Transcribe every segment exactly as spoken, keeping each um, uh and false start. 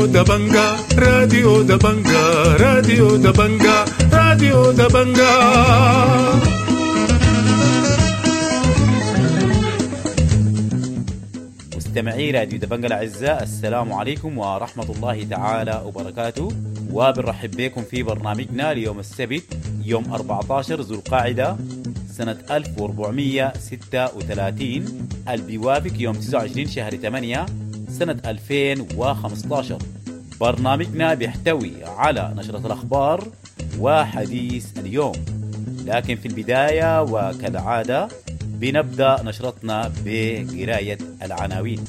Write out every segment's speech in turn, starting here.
راديو دبنجا، راديو دبنجا، راديو دبنجا، راديو دبنجا. مستمعي راديو دبنجا الأعزاء، السلام عليكم ورحمة الله تعالى وبركاته، وبنرحب بكم في برنامجنا ليوم السبت يوم أربعة عشر ذو القعدة سنة ألف وأربعمية وستة وثلاثين، اللي بيوافق يوم تسعة وعشرين شهر ثمانية سنة ألفين وخمسة عشر. برنامجنا بيحتوي على نشرة الأخبار وحديث اليوم، لكن في البداية وكالعادة بنبدأ نشرتنا بقراية العناوين.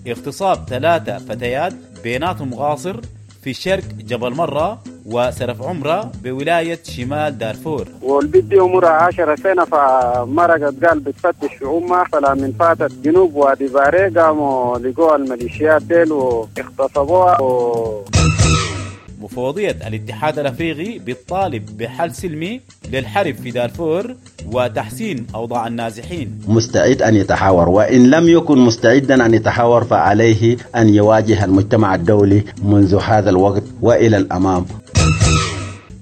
اغتصاب ثلاثة فتيات بيناتهم غاصر في شرق جبل مرة وسرف عمرة بولاية شمال دارفور. والبنت دي عمرها عشرة سنة، فمرقت قال بتفتش في أمها، فلا من فاتت جنوب وادي باري قاموا لقوها الميليشيات ديل واغتصبوها. و... مفوضية الاتحاد الأفريقي بتطالب بحل سلمي للحرب في دارفور وتحسين أوضاع النازحين. مستعد أن يتحاور، وإن لم يكن مستعدا أن يتحاور فعليه أن يواجه المجتمع الدولي منذ هذا الوقت وإلى الأمام.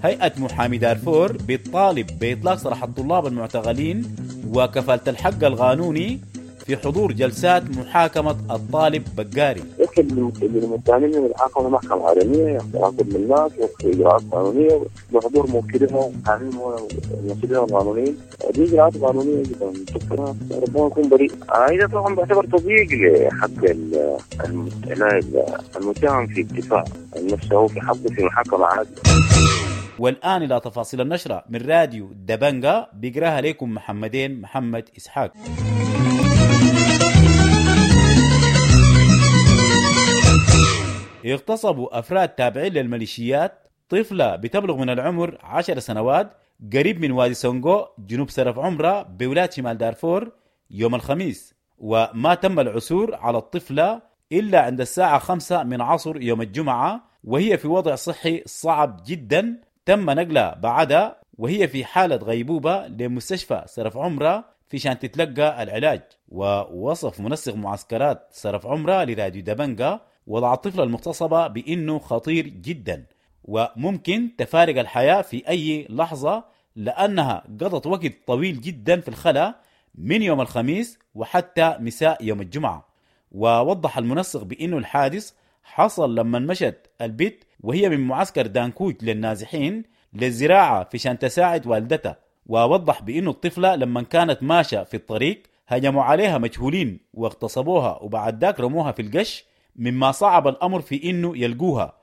هيئة محامي دارفور بتطالب بإطلاق سراح الطلاب المعتقلين وكفالة الحق القانوني في حضور جلسات محاكمة الطالب بقاري. يدخل المتهمين من الحاكمة محكمة عالمية، ياخذ من الناس وفي إجراءات قانونية بحضور موكلهم وموكلهم القانونيين. دي إجراءات قانونية جدا ربما يكون بريء. هذا طبعا بعتبر تضييق لحق المتهم في الدفاع عن نفسه في حقه في محاكمة عادلة. والآن إلى تفاصيل النشرة من راديو دبنجا، بيقراها لكم محمدين محمد إسحاق. اغتصبوا أفراد تابعين للميليشيات طفلة بتبلغ من العمر عشر سنوات قريب من وادي سونغو جنوب سرف عمرة بولاية شمال دارفور يوم الخميس، وما تم العثور على الطفلة إلا عند الساعة خمسة من عصر يوم الجمعة، وهي في وضع صحي صعب جدا. تم نقلها بعدها وهي في حالة غيبوبة لمستشفى سرف عمرة في شان تتلقى العلاج. ووصف منسق معسكرات سرف عمرة لراديو دبنجا وضع الطفلة المغتصبة بأنه خطير جدا وممكن تفارق الحياة في أي لحظة، لأنها قضت وقت طويل جدا في الخلاء من يوم الخميس وحتى مساء يوم الجمعة. ووضح المنسق بأنه الحادث حصل لما مشت البيت وهي من معسكر دانكوج للنازحين للزراعة في شان تساعد والدتها. ووضح بأنه الطفلة لما كانت ماشية في الطريق هجموا عليها مجهولين واغتصبوها وبعد ذاك رموها في القش، مما صعب الأمر في إنه يلقوها.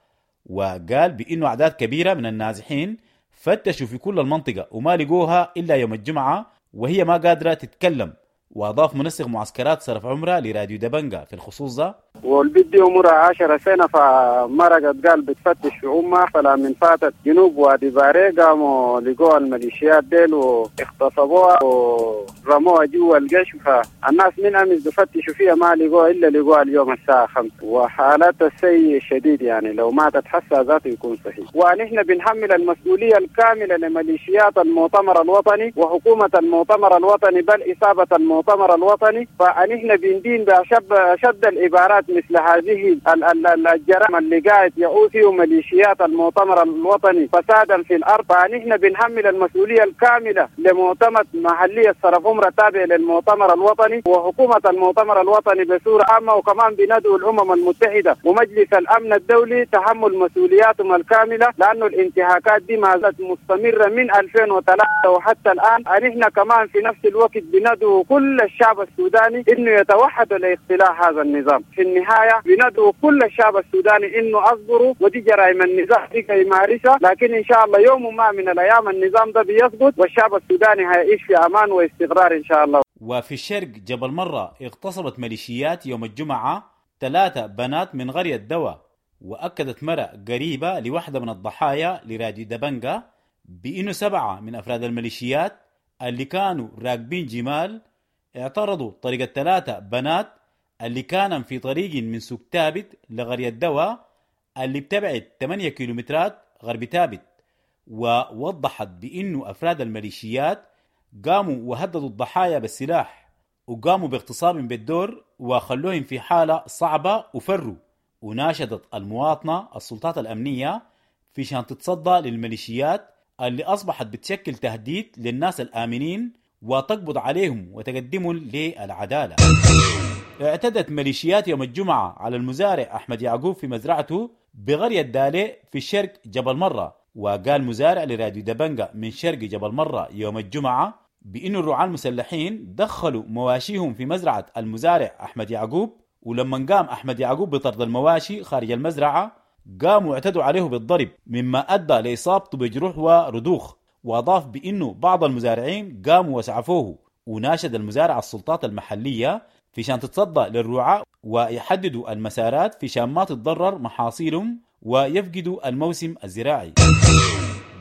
وقال بإنه أعداد كبيرة من النازحين فتشوا في كل المنطقة وما لقوها إلا يوم الجمعة وهي ما قادرة تتكلم. وأضاف منسق معسكرات سرف عمرة لراديو دبنجا في الخصوص ده: والبنت دي عمرها عشرة سنة، فمرقت قال بتفتش في أمها، فلا من فاتت جنوب وادي باري قاموا لقوها الميليشيات ديل واغتصبوها ورموها جوا الجيش. فالناس من أمس بفتشوا فيها ما لقوها إلا لقوها اليوم الساعة خمسة، وحالتها السيء شديد، يعني لو ماتت حسها ذاته يكون صحيح. ونحن بنحمل المسؤولية الكاملة لميليشيات المؤتمر الوطني وحكومة المؤتمر الوطني، بل إصابة المؤتمر الوطني. فنحن بندين بأشد العبارات مثل هذه الجرائم اللي قاعد يعود فيه ميليشيات المؤتمر الوطني فسادا في الارض. فنحن بنحمل المسؤوليه الكامله لمؤتمر محليه صرف عمره تابع للمؤتمر الوطني وحكومه المؤتمر الوطني بصوره عامه، وكمان بندعو الامم المتحده ومجلس الامن الدولي تحمل مسؤولياتهم الكامله، لانه الانتهاكات دي ما زالت مستمره من ألفين وثلاثة وحتى الان. نحن كمان في نفس الوقت بندعو كل الشعب السوداني انه يتوحد لاقتلاع هذا النظام. في النهاية بندعو كل الشعب السوداني انه اصبروا، ودي جرائم النظام دي يمارسها، لكن ان شاء الله يوم ما من الايام النظام ده بيسقط والشعب السوداني هيعيش في امان واستقرار ان شاء الله. وفي الشرق جبل مرة اغتصبت ميليشيات يوم الجمعة ثلاثة بنات من قرية دوا، وأكدت مرأة قريبة لواحدة من الضحايا لراديو دبنجا بأنه سبعة من أفراد الميليشيات اللي كانوا راكبين جمال اعترضوا طريق الثلاثة بنات اللي كانوا في طريق من سوق تابت لقرية دوا اللي بتبعد ثمانية كيلومترات غرب تابت. ووضحت بأنه أفراد الميليشيات قاموا وهددوا الضحايا بالسلاح وقاموا باغتصابهم بالدور وخلوهم في حالة صعبة وفروا. وناشدت المواطنة السلطات الأمنية في شان تتصدى للميليشيات اللي أصبحت بتشكل تهديد للناس الآمنين وتقبض عليهم وتقدمهم للعدالة. اعتدت ميليشيات يوم الجمعة على المزارع أحمد يعقوب في مزرعته بقرية دالي في الشرق جبل مرة. وقال مزارع لراديو دبنجة من شرق جبل مرة يوم الجمعة بأن الرعاة المسلحين دخلوا مواشيهم في مزرعة المزارع أحمد يعقوب، ولما قام أحمد يعقوب بطرد المواشي خارج المزرعة قاموا اعتدوا عليه بالضرب، مما أدى لإصابته بجروح وردوخ. وأضاف بأنه بعض المزارعين قاموا وسعفوه. وناشد المزارع السلطات المحلية في شان تتصدى للرعاة ويحددوا المسارات في شان ما تتضرر محاصيلهم ويفقدوا الموسم الزراعي.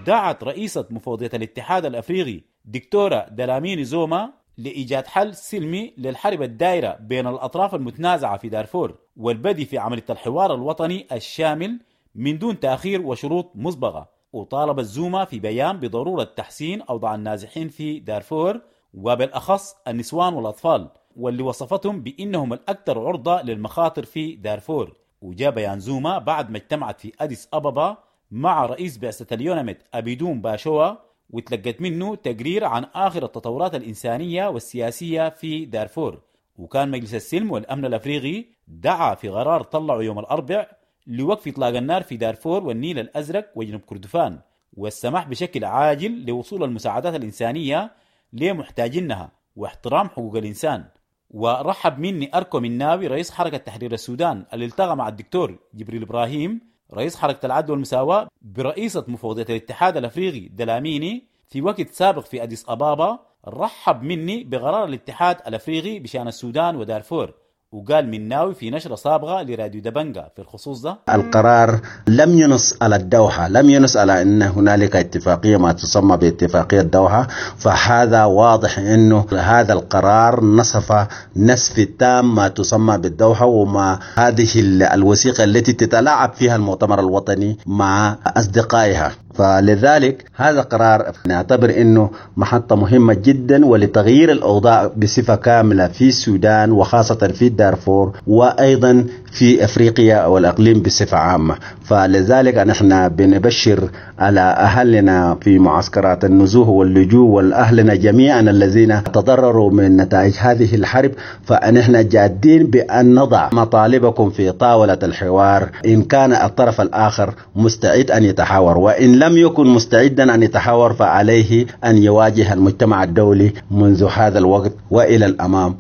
دعت رئيسة مفوضية الاتحاد الأفريقي دكتورة دلاميني زوما لإيجاد حل سلمي للحرب الدائرة بين الأطراف المتنازعة في دارفور والبدء في عملية الحوار الوطني الشامل من دون تأخير وشروط مسبقة. وطالب الزوما في بيان بضرورة تحسين أوضاع النازحين في دارفور وبالأخص النسوان والأطفال، واللي وصفتهم بأنهم الأكثر عرضة للمخاطر في دارفور. وجاء بيان زوما بعد ما اجتمعت في أديس أبابا مع رئيس بعثة اليوناميد أبيدون باشوا، وتلقت منه تقرير عن آخر التطورات الإنسانية والسياسية في دارفور. وكان مجلس السلم والأمن الأفريقي دعا في قرار طلعوا يوم الأربع لوقف إطلاق النار في دارفور والنيل الأزرق وجنوب كردفان، والسماح بشكل عاجل لوصول المساعدات الإنسانية لمحتاجينها واحترام حقوق الإنسان. ورحب مني أركو مناوي رئيس حركة تحرير السودان اللي التقى مع الدكتور جبريل إبراهيم رئيس حركة العدل والمساواة برئيسة مفوضية الاتحاد الأفريقي دلاميني في وقت سابق في أديس أبابا. رحب مني بقرار الاتحاد الأفريقي بشأن السودان ودارفور. وقال مناوي في نشرة سابقة لراديو دبنجة في الخصوص ده: القرار لم ينص على الدوحة، لم ينص على أن هنالك اتفاقية ما تسمى باتفاقية الدوحة، فهذا واضح أنه هذا القرار نصف نسف تام ما تسمى بالدوحة وما هذه الوثيقة التي تتلاعب فيها المؤتمر الوطني مع أصدقائها. فلذلك هذا قرار نعتبر أنه محطة مهمة جدا ولتغيير الأوضاع بصفة كاملة في السودان وخاصة في دارفور وأيضا في أفريقيا والأقليم بصفة عامة. فلذلك نحن بنبشر على أهلنا في معسكرات النزوح واللجوء والأهلنا جميعا الذين تضرروا من نتائج هذه الحرب، فنحن جادين بأن نضع مطالبكم في طاولة الحوار إن كان الطرف الآخر مستعد أن يتحاور، وإن لم يكن مستعدا أن يتحاور فعليه أن يواجه المجتمع الدولي منذ هذا الوقت وإلى الأمام.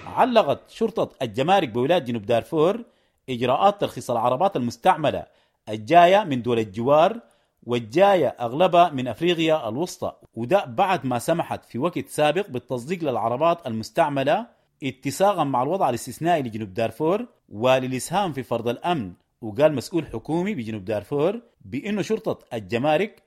علقت شرطة الجمارك بولاية جنوب دارفور إجراءات ترخيص العربات المستعملة الجاية من دول الجوار والجاية أغلبها من أفريقيا الوسطى، وده بعد ما سمحت في وقت سابق بالتصديق للعربات المستعملة اتساقا مع الوضع الاستثنائي لجنوب دارفور وللإسهام في فرض الأمن. وقال مسؤول حكومي بجنوب دارفور بأنه شرطة الجمارك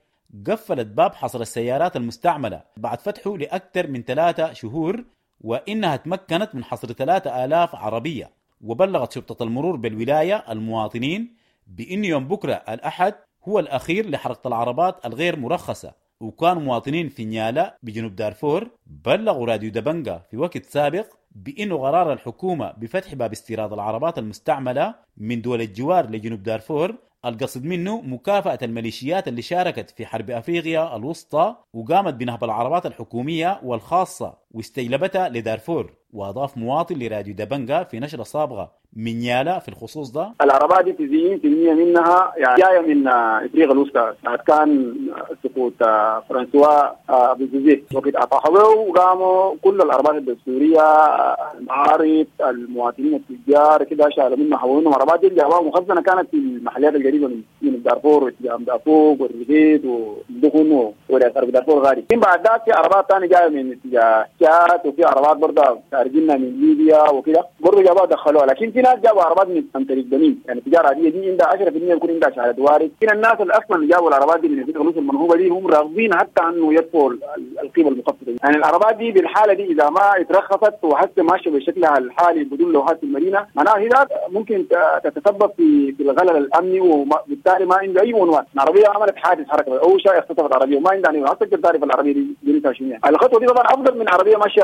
قفلت باب حصر السيارات المستعملة بعد فتحه لأكثر من ثلاثة شهور، وإنها تمكنت من حصر ثلاثة آلاف عربية. وبلغت شرطة المرور بالولاية المواطنين بأن يوم بكرة الأحد هو الأخير لحركة العربات الغير مرخصة. وكان مواطنين في نيالا بجنوب دارفور بلغوا راديو دبنجة في وقت سابق بأنه قرار الحكومة بفتح باب استيراد العربات المستعملة من دول الجوار لجنوب دارفور القصد منه مكافأة الميليشيات اللي شاركت في حرب أفريقيا الوسطى وقامت بنهب العربات الحكومية والخاصة واستجلبتها لدارفور. وأضاف مواطن لراديو دبنجة في نشرة سابقة من نيالا في الخصوص ده: العربات دي تسعين بالمئة منها يعني جاية من افريقيا الوسطى، كان سقوط فرانسوا بوزيزيه وقت اطاحوه وقاموا كل العربات الدستورية المعارض المواطنين التجار كده شالوا منها حولوا منهم عربات دي جابوها مخزنة كانت في المحليات القريبة من من دارفور واتجاه دافوق والرغيد والدخن وغرب دارفور غالي. بعد ذاك في عربات ثانية جاية من اتجاه تشاد، وفي عربات برضه ارجلنا من ليبيا وكده برضه جابوها دخلوها. لكن في ناس جابوا عربات من عن طريق بنين، يعني تجارة عادية دي عندها عشرة بالمئة يكون عندها شهادة وارد. هنا الناس اللي اصلا جابوا العربات دي من افريقيا المنهوبه دي هم راغبين حتى انه يدفعوا القيمة المخفضه. يعني العربات دي بالحالة دي اذا ما اترخصت وحتى ماشية بشكلها الحالي بدون لوحات في المدينة، معناها هي ممكن تتسبب في في الغلل الامني، وبالتالي ما عنده اي عنوان. العربية عملت حادث حركة او شيء اختطفت عربية وما عندها عنوان، تقدر تعرف العربية دي جنسها شنو. يعني الخطوة دي طبعا افضل من عربية ماشية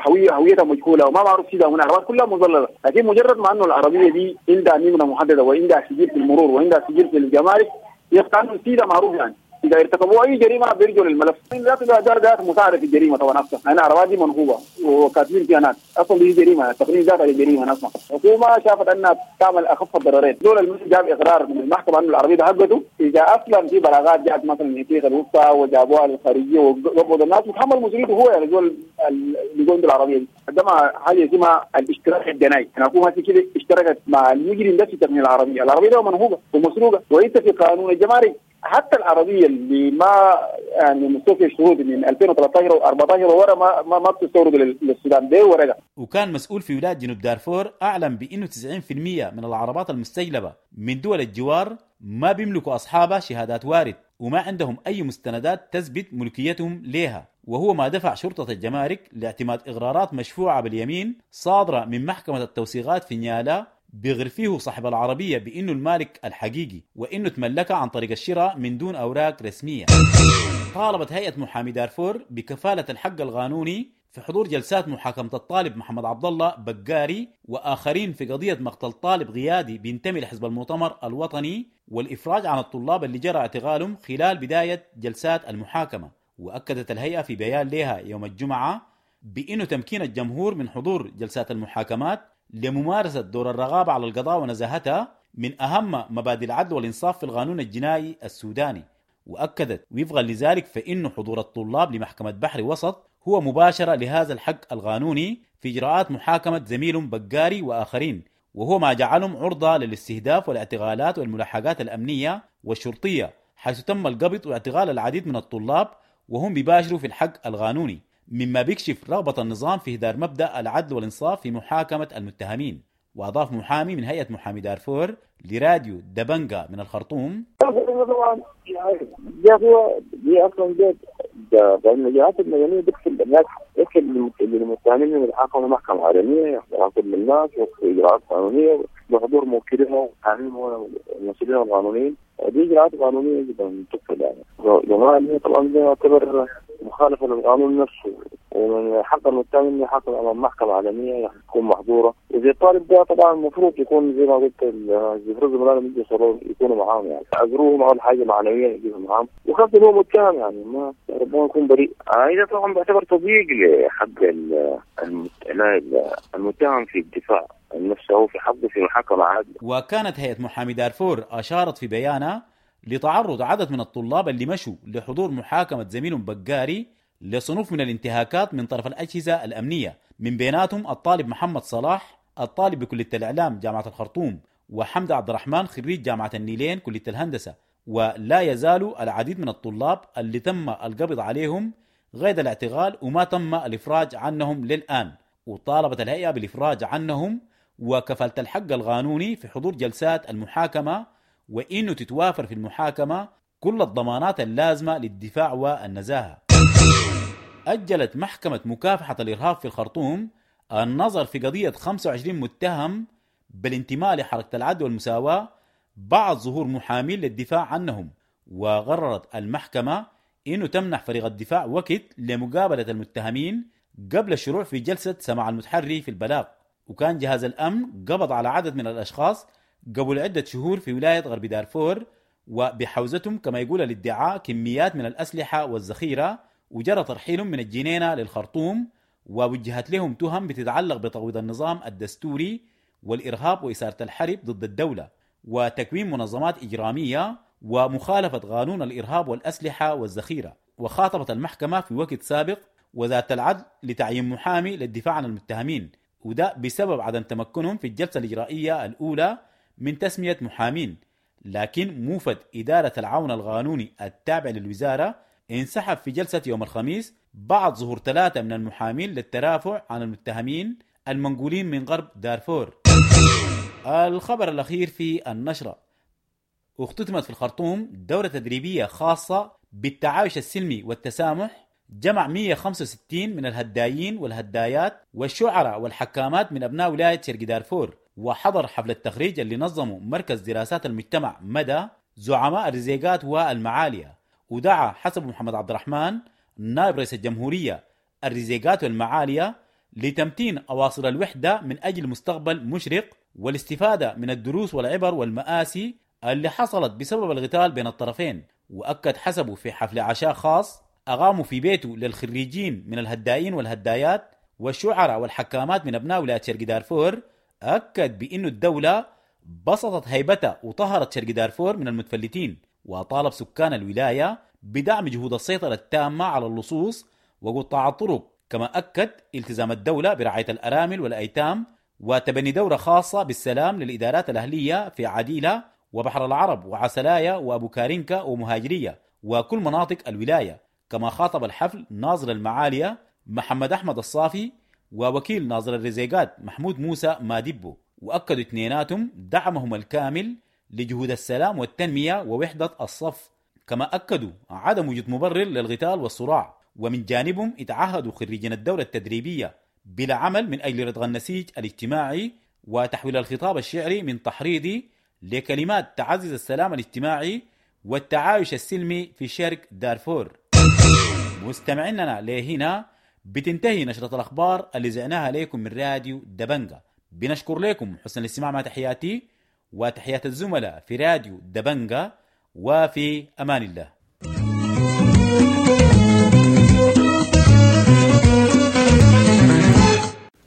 هوية هويتها مجهولة وما معروف كده، ومن العربات كلها مظلله. لكن مجرد ما انه العربية دي عندها نمره محددة وعندها سجل في المرور وعندها سجل في الجمارك، يبقى انه السيدة معروف. يعني اذا ارتكبوا اي جريمة بيرجعوا للملف. ذات ذات مساعدة في الجريمة طبعا اصلا، لان العربات دي منهوبه وكاتبين فيها ناس، اصلا دي جريمة، التقنين ذاتها جريمة اصلا. الحكومة شافت انها تعمل اخف الضررين. دول المسجد جاب اقرار من المحكمة انه العربية ده حقته. اذا اصلا في بلاغات جاءت مثلا من افريقيا الوسطى وجابوها للخارجيه وقبضوا الناس، وتحمل مسؤوليته هو. يعني دول اللي عنده العربية دي قدمها حاجة اسمها الاشتراك الجنائي. يعني الحكومة كده اشتركت مع المجرم ده في تقنين العربية، العربية ده منهوبه ومسروقه. وانت في قانون الجمارك حتى العربية اللي ما يعني مستوفيه شروط من ألفين وثلاثة عشر و أربعة عشر ورا ما ما, ما بتستورد للسودان ده ورقة. وكان مسؤول في ولاية جنوب دارفور اعلن بانه تسعين بالمئة من العربات المستجلبه من دول الجوار ما بيملكوا اصحابها شهادات وارد وما عندهم اي مستندات تثبت ملكيتهم ليها، وهو ما دفع شرطه الجمارك لاعتماد اقرارات مشفوعة باليمين صادرة من محكمة التوثيقات في نيالا بيغر فيه صاحب العربية بأنه المالك الحقيقي وأنه تملكها عن طريق الشراء من دون أوراق رسمية. طالبت هيئة محامي دارفور بكفالة الحق القانوني في حضور جلسات محاكمة الطالب محمد عبد الله بقاري وآخرين في قضية مقتل طالب قيادي بينتمي لحزب المؤتمر الوطني والإفراج عن الطلاب اللي جرى اعتقالهم خلال بداية جلسات المحاكمة. وأكدت الهيئة في بيان لها يوم الجمعة بأنه تمكين الجمهور من حضور جلسات المحاكمات لممارسة دور الرغابة على القضاء ونزاهتها من أهم مبادئ العدل والإنصاف في القانون الجنائي السوداني. وأكدت وفقا لذلك فإن حضور الطلاب لمحكمة بحر وسط هو مباشرة لهذا الحق القانوني في إجراءات محاكمة زميلهم بقاري وآخرين، وهو ما جعلهم عرضة للاستهداف والاعتقالات والملاحقات الأمنية والشرطية، حيث تم القبض واعتقال العديد من الطلاب وهم بيباشروا في الحق القانوني، مما بيكشف رغبة النظام في إهدار مبدأ العدل والإنصاف في محاكمة المتهمين. وأضاف محامي من هيئة محامي دارفور لراديو دبنجا من الخرطوم: طبعا دي اصلا الجهات المدنية بتكفل الناس، بتكفل المتهمين من يتحاكموا محكمة عالمية، يحكم الناس واجراءات قانونية بحضور موكلين ومحامين والمسؤولين القانونيين. دي اجراءات قانونية جدا تكفل. يعني الجماعة طبعا ده يعتبر مخالفة للقانون نفسه، ومن حق المتهم انه يحاكم امام محكمة عالمية تكون محظورة. وزي الطالب ده طبعا المفروض يكون زي ما قلت المفروض زملائنا من يكونوا معاهم، يعني عذروهم اول حاجة معنويا يجيبوا معاهم، وخاصة هو متهم يعني ما ربما يكون بريء. هذا طبعا بيعتبر تضييق لحق المتهم في الدفاع عن نفسه في حقه في محاكمة عادلة. وكانت هيئة محامي دارفور اشارت في بيانها لتعرض عدد من الطلاب اللي مشوا لحضور محاكمة زميلهم بقاري لصنوف من الانتهاكات من طرف الأجهزة الأمنية، من بيناتهم الطالب محمد صلاح الطالب بكلية الإعلام جامعة الخرطوم، وحمد عبد الرحمن خريج جامعة النيلين كلية الهندسة. ولا يزال العديد من الطلاب اللي تم القبض عليهم غير الاعتقال وما تم الإفراج عنهم للآن. وطالبت الهيئة بالإفراج عنهم وكفالة الحق القانوني في حضور جلسات المحاكمة، وإنه تتوافر في المحاكمة كل الضمانات اللازمة للدفاع والنزاهة. أجلت محكمة مكافحة الإرهاب في الخرطوم النظر في قضية خمسة وعشرين متهم بالانتماء لحركة العدل والمساواة بعد ظهور محامين للدفاع عنهم، وقررت المحكمة إنه تمنح فريق الدفاع وقت لمقابلة المتهمين قبل الشروع في جلسة سماع المتحري في البلاغ. وكان جهاز الأمن قبض على عدد من الأشخاص قبل عدة شهور في ولاية غرب دارفور، وبحوزتهم كما يقول الادعاء كميات من الأسلحة والذخيرة، وجرى ترحيلهم من الجنينة للخرطوم، ووجهت لهم تهم بتتعلق بتقويض النظام الدستوري والإرهاب وإثارة الحرب ضد الدولة وتكوين منظمات إجرامية ومخالفة قانون الإرهاب والأسلحة والذخيرة. وخاطبت المحكمة في وقت سابق وزارة العدل لتعيين محامي للدفاع عن المتهمين، وده بسبب عدم تمكنهم في الجلسة الإجرائية الأولى من تسمية محامين. لكن موفد إدارة العون القانوني التابع للوزارة انسحب في جلسة يوم الخميس بعد ظهور ثلاثة من المحامين للترافع عن المتهمين المنقولين من غرب دارفور. الخبر الأخير في النشرة، اختتمت في الخرطوم دورة تدريبية خاصة بالتعايش السلمي والتسامح جمع مئة وخمسة وستين من الهدايين والهدايات والشعراء والحكامات من أبناء ولاية شرق دارفور، وحضر حفل التخريج اللي نظمه مركز دراسات المجتمع مدى زعماء الرزيقات والمعالية. ودعا حسب محمد عبد الرحمن نائب رئيس الجمهورية الرزيقات والمعالية لتمتين أواصر الوحدة من أجل مستقبل مشرق والاستفادة من الدروس والعبر والمآسي اللي حصلت بسبب القتال بين الطرفين. وأكد حسبه في حفل عشاء خاص أقاموا في بيته للخريجين من الهدائين والهدايات والشعراء والحكامات من أبناء ولاية شرق دارفور، أكد بأن الدولة بسطت هيبتها وطهرت شرق دارفور من المتفلتين، وطالب سكان الولاية بدعم جهود السيطرة التامة على اللصوص وقطاع الطرق. كما أكد التزام الدولة برعاية الأرامل والأيتام وتبني دورة خاصة بالسلام للإدارات الأهلية في عديلة وبحر العرب وعسلايا وأبو كارينكا ومهاجرية وكل مناطق الولاية. كما خاطب الحفل ناظر المعالية محمد أحمد الصافي ووكيل ناظر الرزيقات محمود موسى مادبو، وأكدوا اثنيناتهم دعمهم الكامل لجهود السلام والتنمية ووحدة الصف. كما أكدوا عدم وجود مبرر للقتال والصراع، ومن جانبهم اتعهدوا خريجين الدورة التدريبية بالعمل من أجل ردغ النسيج الاجتماعي وتحويل الخطاب الشعري من تحريضي لكلمات تعزز السلام الاجتماعي والتعايش السلمي في شرق دارفور. مستمعيننا لهنا بتنتهي نشرة الأخبار اللي زعناها لكم من راديو دبنجة. بنشكر لكم حسن الاستماع، مع تحياتي وتحيات الزملاء في راديو دبنجة، وفي أمان الله.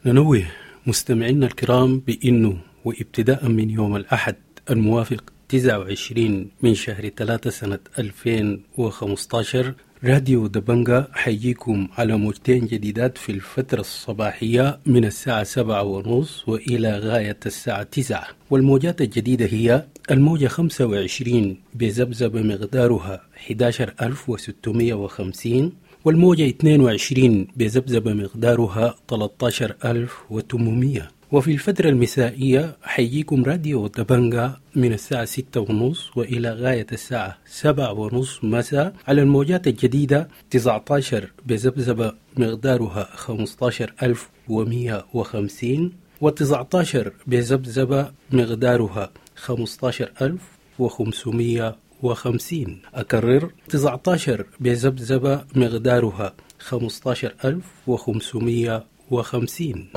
ننوه مستمعينا الكرام بأنه وابتداء من يوم الأحد الموافق تسعة وعشرين من شهر ثلاثة سنة ألفين وخمسة عشر راديو دبنجة حيجيكم على موجتين جديدات في الفترة الصباحية من الساعة سبعة ونص وإلى غاية الساعة تسعة، والموجات الجديدة هي الموجة خمسة وعشرين بذبذبة مقدارها أحد عشر ألف وستمائة وخمسين، والموجة اثنين وعشرين بذبذبة مقدارها ثلاثة عشر ألف وثمانمائة. وفي الفترة المسائية حيجيكم راديو دبنجة من الساعة ستة ونص وإلى غاية الساعة سبعة ونص مساء على الموجات الجديدة تسعة عشر بذبذبة مقدارها خمسة عشر ألف ومئة وخمسين، وتسعة عشر بذبذبة مقدارها خمسة عشر ألف وخمسمائة وخمسين. أكرر تسعة عشر بذبذبة مقدارها خمسة عشر ألف وخمسمائة وخمسين.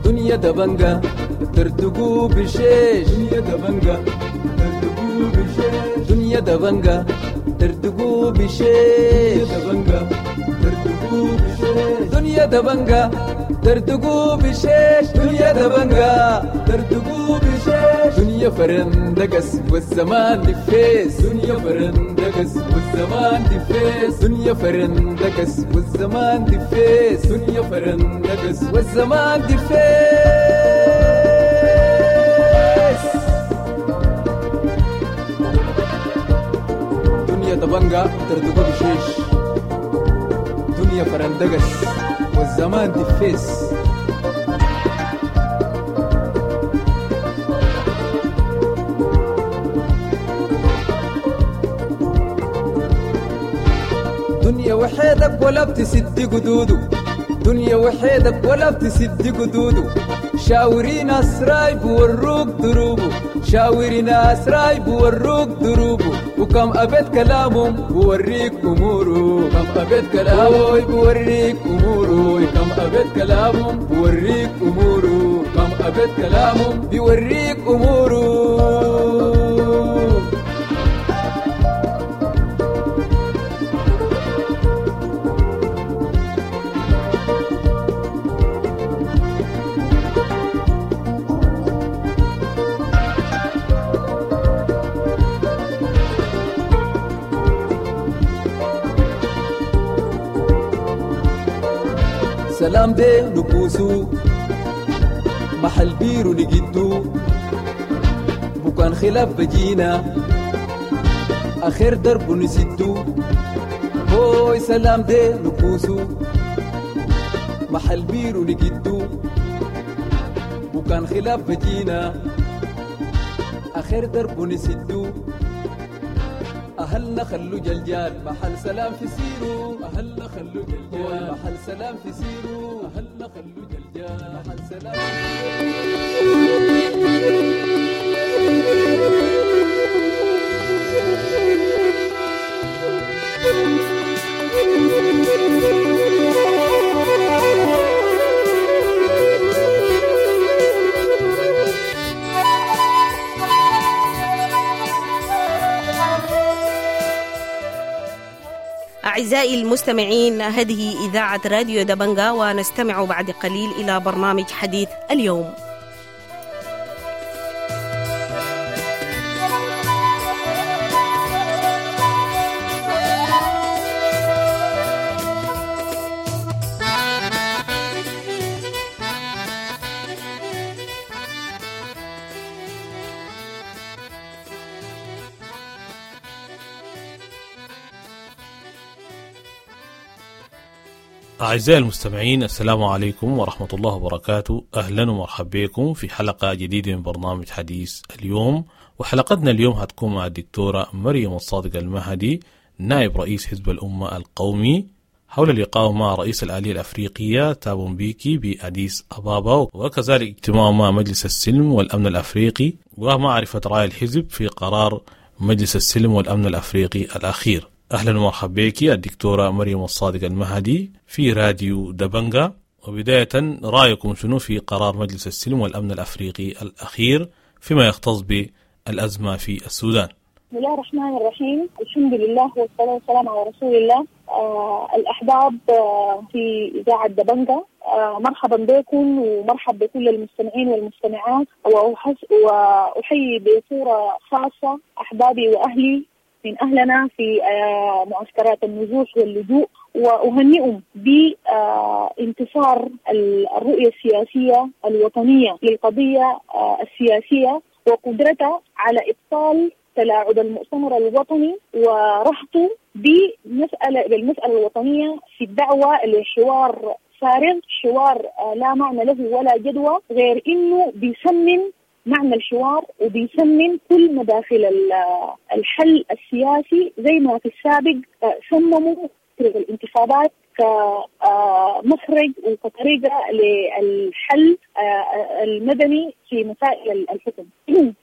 دنيا دبنجة ترتقو بشيش، دنيا دبنجة ترتقو بشيش، دنيا دبنجة ترتقو بشيش، دبنجة ترتقو بشيش، دنيا دبنجة ترتقو بشيش، دنيا دبنجة ترتقو بشيش، دنيا فرندقس والزمان دفيس، دنيا فرندقس والزمان دفيس، دنيا فرندقس والزمان دفيس، دنيا فرندقس والزمان دفيس. دنيا دبنجة ترتقو بشيش، دنيا فرندقس والزمان دفيس. دنيا وحيدك ولا بتسد قدوده، دنيا وحيدك ولا بتسد قدوده، شاوري ناس رايب وروك دروبه، شاوري ناس رايب وروك دروبه، وكم أبيت كلامهم بوريك أموره، كم أبيت كلامه بوريك أموره، كم أبيت كلامهم بوريك أموره، كم أبيت كلامهم بيوريك أموره. سلام دي نكوسو محل بيرو نجدو، بكان خلاف بجينا آخر درب نسدو، هوي سلام دي نكوسو محل بيرو نجدو وكان خلاف بجينا آخر درب نسدو أهلنا خلو جلجال محل سلام في سيرو أهلنا خلو جلجال محل سلام في سيرو أهلنا خلو جلجال محل سلام. أعزائي المستمعين، هذه إذاعة راديو دبنجا، ونستمع بعد قليل إلى برنامج حديث اليوم. أعزائي المستمعين، السلام عليكم ورحمة الله وبركاته. أهلا ومرحبا بكم في حلقة جديدة من برنامج حديث اليوم. وحلقتنا اليوم هتكون مع الدكتورة مريم الصادق المهدي، نائب رئيس حزب الأمة القومي، حول لقائه مع رئيس الآلية الأفريقية تابو مبيكي بأديس أبابا، وكذلك اجتماعه مع مجلس السلم والأمن الأفريقي، ومعرفة رأي الحزب في قرار مجلس السلم والأمن الأفريقي الأخير. أهلا ومرحبا بك الدكتورة مريم الصادق المهدي في راديو دبنجا. وبداية، رأيكم شنو في قرار مجلس السلم والأمن الأفريقي الأخير فيما يختص بالأزمة في السودان؟ بسم الله الرحمن الرحيم، الحمد لله والصلاة والسلام على رسول الله. آه الأحباب آه في إذاعة دبنجا، آه مرحبا بكم ومرحبا بكل المستمعين والمستمعات، وأحيي بصورة خاصة أحبابي وأهلي من أهلنا في معسكرات النزوح واللجوء، وأهنئهم بانتصار الرؤية السياسية الوطنية للقضية السياسية وقدرتها على إبطال تلاعب المؤتمر الوطني ورهطه بمسألة بالمسألة الوطنية في الدعوة لحوار فارغ، حوار لا معنى له ولا جدوى، غير إنه بيسمم معنى الحوار وبيسمم كل مداخل الحل السياسي، زي ما في السابق سمموا الانتخابات كمخرج وكطريقة للحل المدني في مسائل الحكم.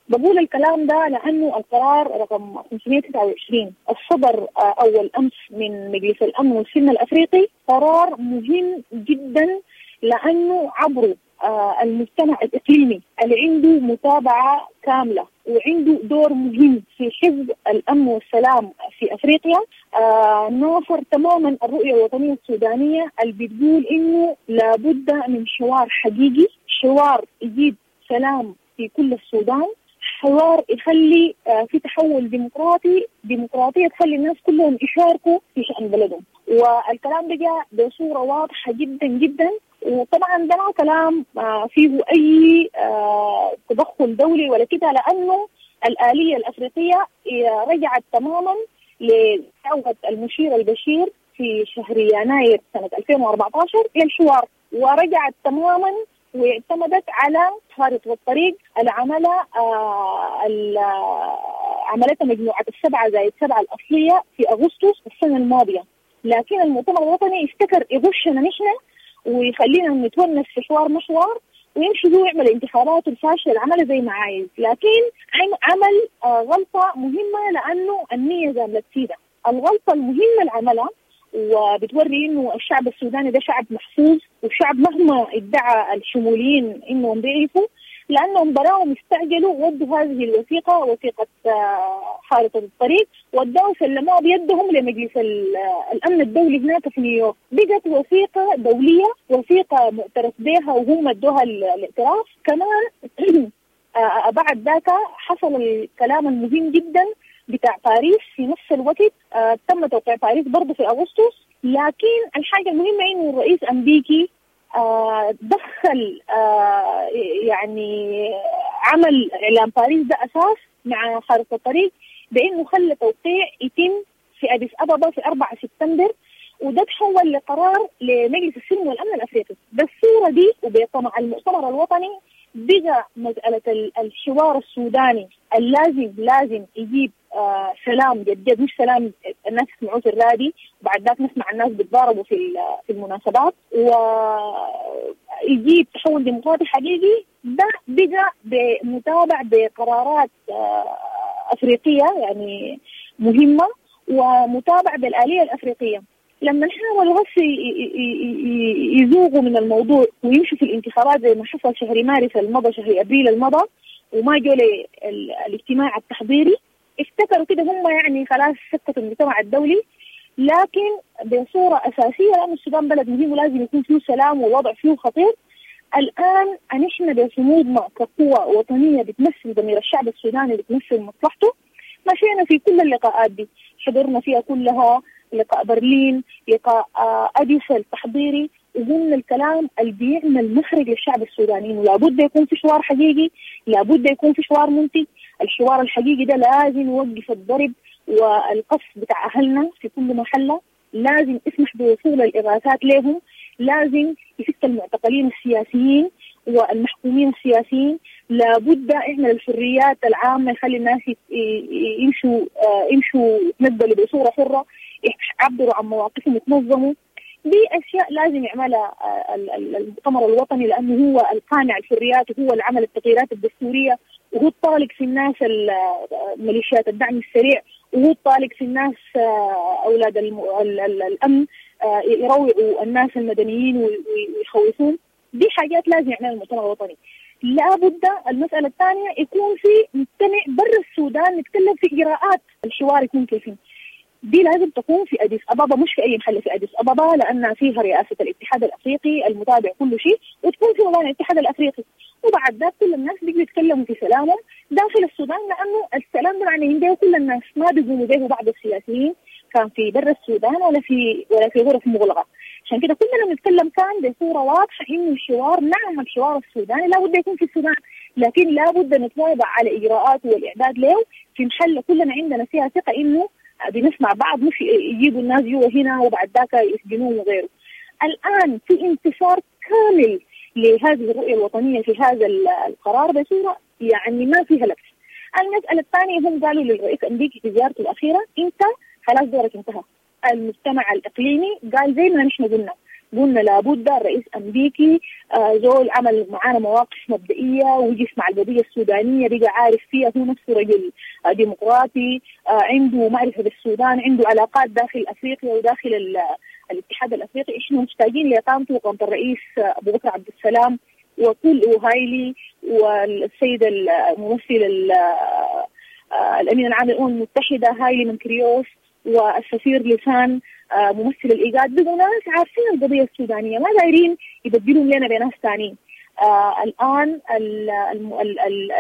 بقول الكلام ده لأنه القرار رقم خمسمائة وتسعة وعشرين الصدر أول أمس من مجلس الأمن والسلم الأفريقي قرار مهم جدا، لأنه عبره المجتمع الإقليمي اللي عنده متابعة كاملة وعنده دور مهم في حفظ الأمن والسلام في أفريقيا، آه ناصر تماما الرؤية الوطنية السودانية اللي بتقول إنه لابد من حوار حقيقي، حوار يجيب سلام في كل السودان، حوار يخلي آه في تحول ديمقراطي، ديمقراطية تخلي الناس كلهم يشاركوا في شأن بلدهم. والكلام ده جاء بصورة واضحة جدا جدا، وطبعا ده ما كلام فيه أي تدخل دولي ولا كده، لأنه الآلية الأفريقية رجعت تماما لدعوة المشير البشير في شهر يناير سنة ألفين وأربعة عشر للحوار، ورجعت تماما واعتمدت على خارطة الطريق اللي عملها عملتها مجموعة السبعة زائد سبعة الأصلية في أغسطس السنة الماضية. لكن المؤتمر الوطني افتكر يغشنا نحن ويخلينا نتونس في حوار مشوار ويمشي هو يعمل انتخابات الفاشلة اللي عملها زي ما عايز، لكن عمل غلطة مهمة لأنه النية زاملت سيدة. الغلطة المهمة اللي عملها وبتوري إنه الشعب السوداني ده شعب محفوظ، وشعب مهما ادعى الشموليين إنهم بيعرفوا، لأنهم براهم استعجلوا ودوا هذه الوثيقة، وثيقة خارطة الطريق، ودوا سلموها بيدهم لمجلس الأمن الدولي هناك في نيويورك. بقت وثيقة دولية، وثيقة معترف بها وهم ادوها الاعتراف. كمان بعد ذاك حصل الكلام المهم جدا بتاع باريس في نفس الوقت، تم توقيع باريس برضه في أغسطس. لكن الحاجة المهمة إنه الرئيس أمريكي دخل يعني عمل إعلان باريس ده أساس مع خارطة الطريق، بأنه خلى توقيع يتم في في أديس أبابا في أربعة سبتمبر، وده تحول لقرار لمجلس السلم والأمن الأفريقي. بالصورة دي وبطمع المؤتمر الوطني بقى مسألة الحوار السوداني اللازم لازم يجيب آه سلام جد جد، مش سلام الناس يسمعوه في الرادي وبعد ذاك نسمع الناس بيتضاربوا في في المناسبات، ويجيب تحول ديمقراطي حقيقي. ده بقى بمتابع بقرارات آه أفريقية يعني مهمة ومتابع بالآلية الأفريقية. لما حاولوا بس يزوغوا من الموضوع ويمشوا في الانتخابات زي ما حصل شهر مارس المضى، شهر أبريل المضى، وما جو الاجتماع التحضيري، افتكروا كده هم يعني خلاص سكتوا المجتمع الدولي. لكن بصورة أساسية لأن السودان بلد مهم ولازم يكون فيه سلام والوضع فيه خطير. الآن نحن بصمودنا كقوة وطنية بتمثل ضمير الشعب السوداني، بتمثل مصلحته، مشينا في كل اللقاءات دي، حضرنا فيها كلها، لقاء برلين، لقاء أديس التحضيري، وقلنا الكلام اللي بيعمل مخرج للشعب السوداني، إنه لابد يكون في حوار حقيقي، لابد يكون في حوار منتج. الحوار الحقيقي ده لازم يوقف الضرب والقصف بتاع أهلنا في كل محلة، لازم يسمح بوصول الإغاثات لهم، لازم يفك المعتقلين السياسيين والمحكومين السياسيين، لابد يعمل الحريات العامة، يخلي الناس يمشوا يمشوا يتنقلوا بصورة حرة، يعبروا عن مواقفهم، يتنظموا. دي أشياء لازم يعملها المؤتمر الوطني، لأنه هو القانع الحريات وهو اللي عمل التغييرات الدستورية، وهو الطالق في الناس ميليشيات الدعم السريع، وهو الطالق في الناس أولاد الأمن يروعوا الناس المدنيين ويخوفون. دي حاجات لازم يعملها المؤتمر الوطني. لابد المسألة الثانية يكون في مجتمع برا السودان نتكلم في إجراءات الحوار يكون كيفين. دي لازم تكون في أديس أبابا، مش في أي محل، في أديس أبابا لأن فيها رئاسة الاتحاد الأفريقي المتابع كل شيء، وتكون في مباني الاتحاد الأفريقي. وبعد ذلك كل الناس بيجوا يتكلموا في سلامهم داخل السودان، لأنه السلام ده معنى به كل الناس، ما بيقوموا به بعض السياسيين كان في برا السودان ولا في ولا في غرف مغلقة. عشان كده كلنا بنتكلم كان بصورة واضحة إنه الحوار، نعم الحوار السوداني لابد يكون في السودان، لكن لابد نتواضع على إجراءاته والإعداد له في محل كلنا عندنا فيها ثقة إنه بنسمع بعض، مش يجيبوا الناس جوا هنا وبعد ذاك يسجنوهم وغيره. الآن في انتصار كامل لهذه الرؤية الوطنية في هذا القرار بصورة يعني ما فيها لبس. المسألة الثانية هم قالوا للرئيس الأمريكي في زيارته الأخيرة أنت خلاص دورك انتهى. المجتمع الإقليمي قال زي ما نحن قلنا، قلنا لابد الرئيس الأمريكي آه زول عمل معانا مواقف مبدئية وجف مع القضية السودانية، بقى عارف فيها، هو نفسه رجل آه ديمقراطي، آه عنده معرفة بالسودان، عنده علاقات داخل أفريقيا وداخل الاتحاد الأفريقي. إحنا محتاجين لإقامته وإقامة الرئيس أبو بكر عبد السلام وكل وهايلي والسيد الممثل الأمين العام للأمم المتحدة هايلي منكريوس والسفير لسان ممثل الإيجاد، بقوا ناس عارفين القضية السودانية، ما دايرين يبدلون لنا بناس ثانيين. آه الآن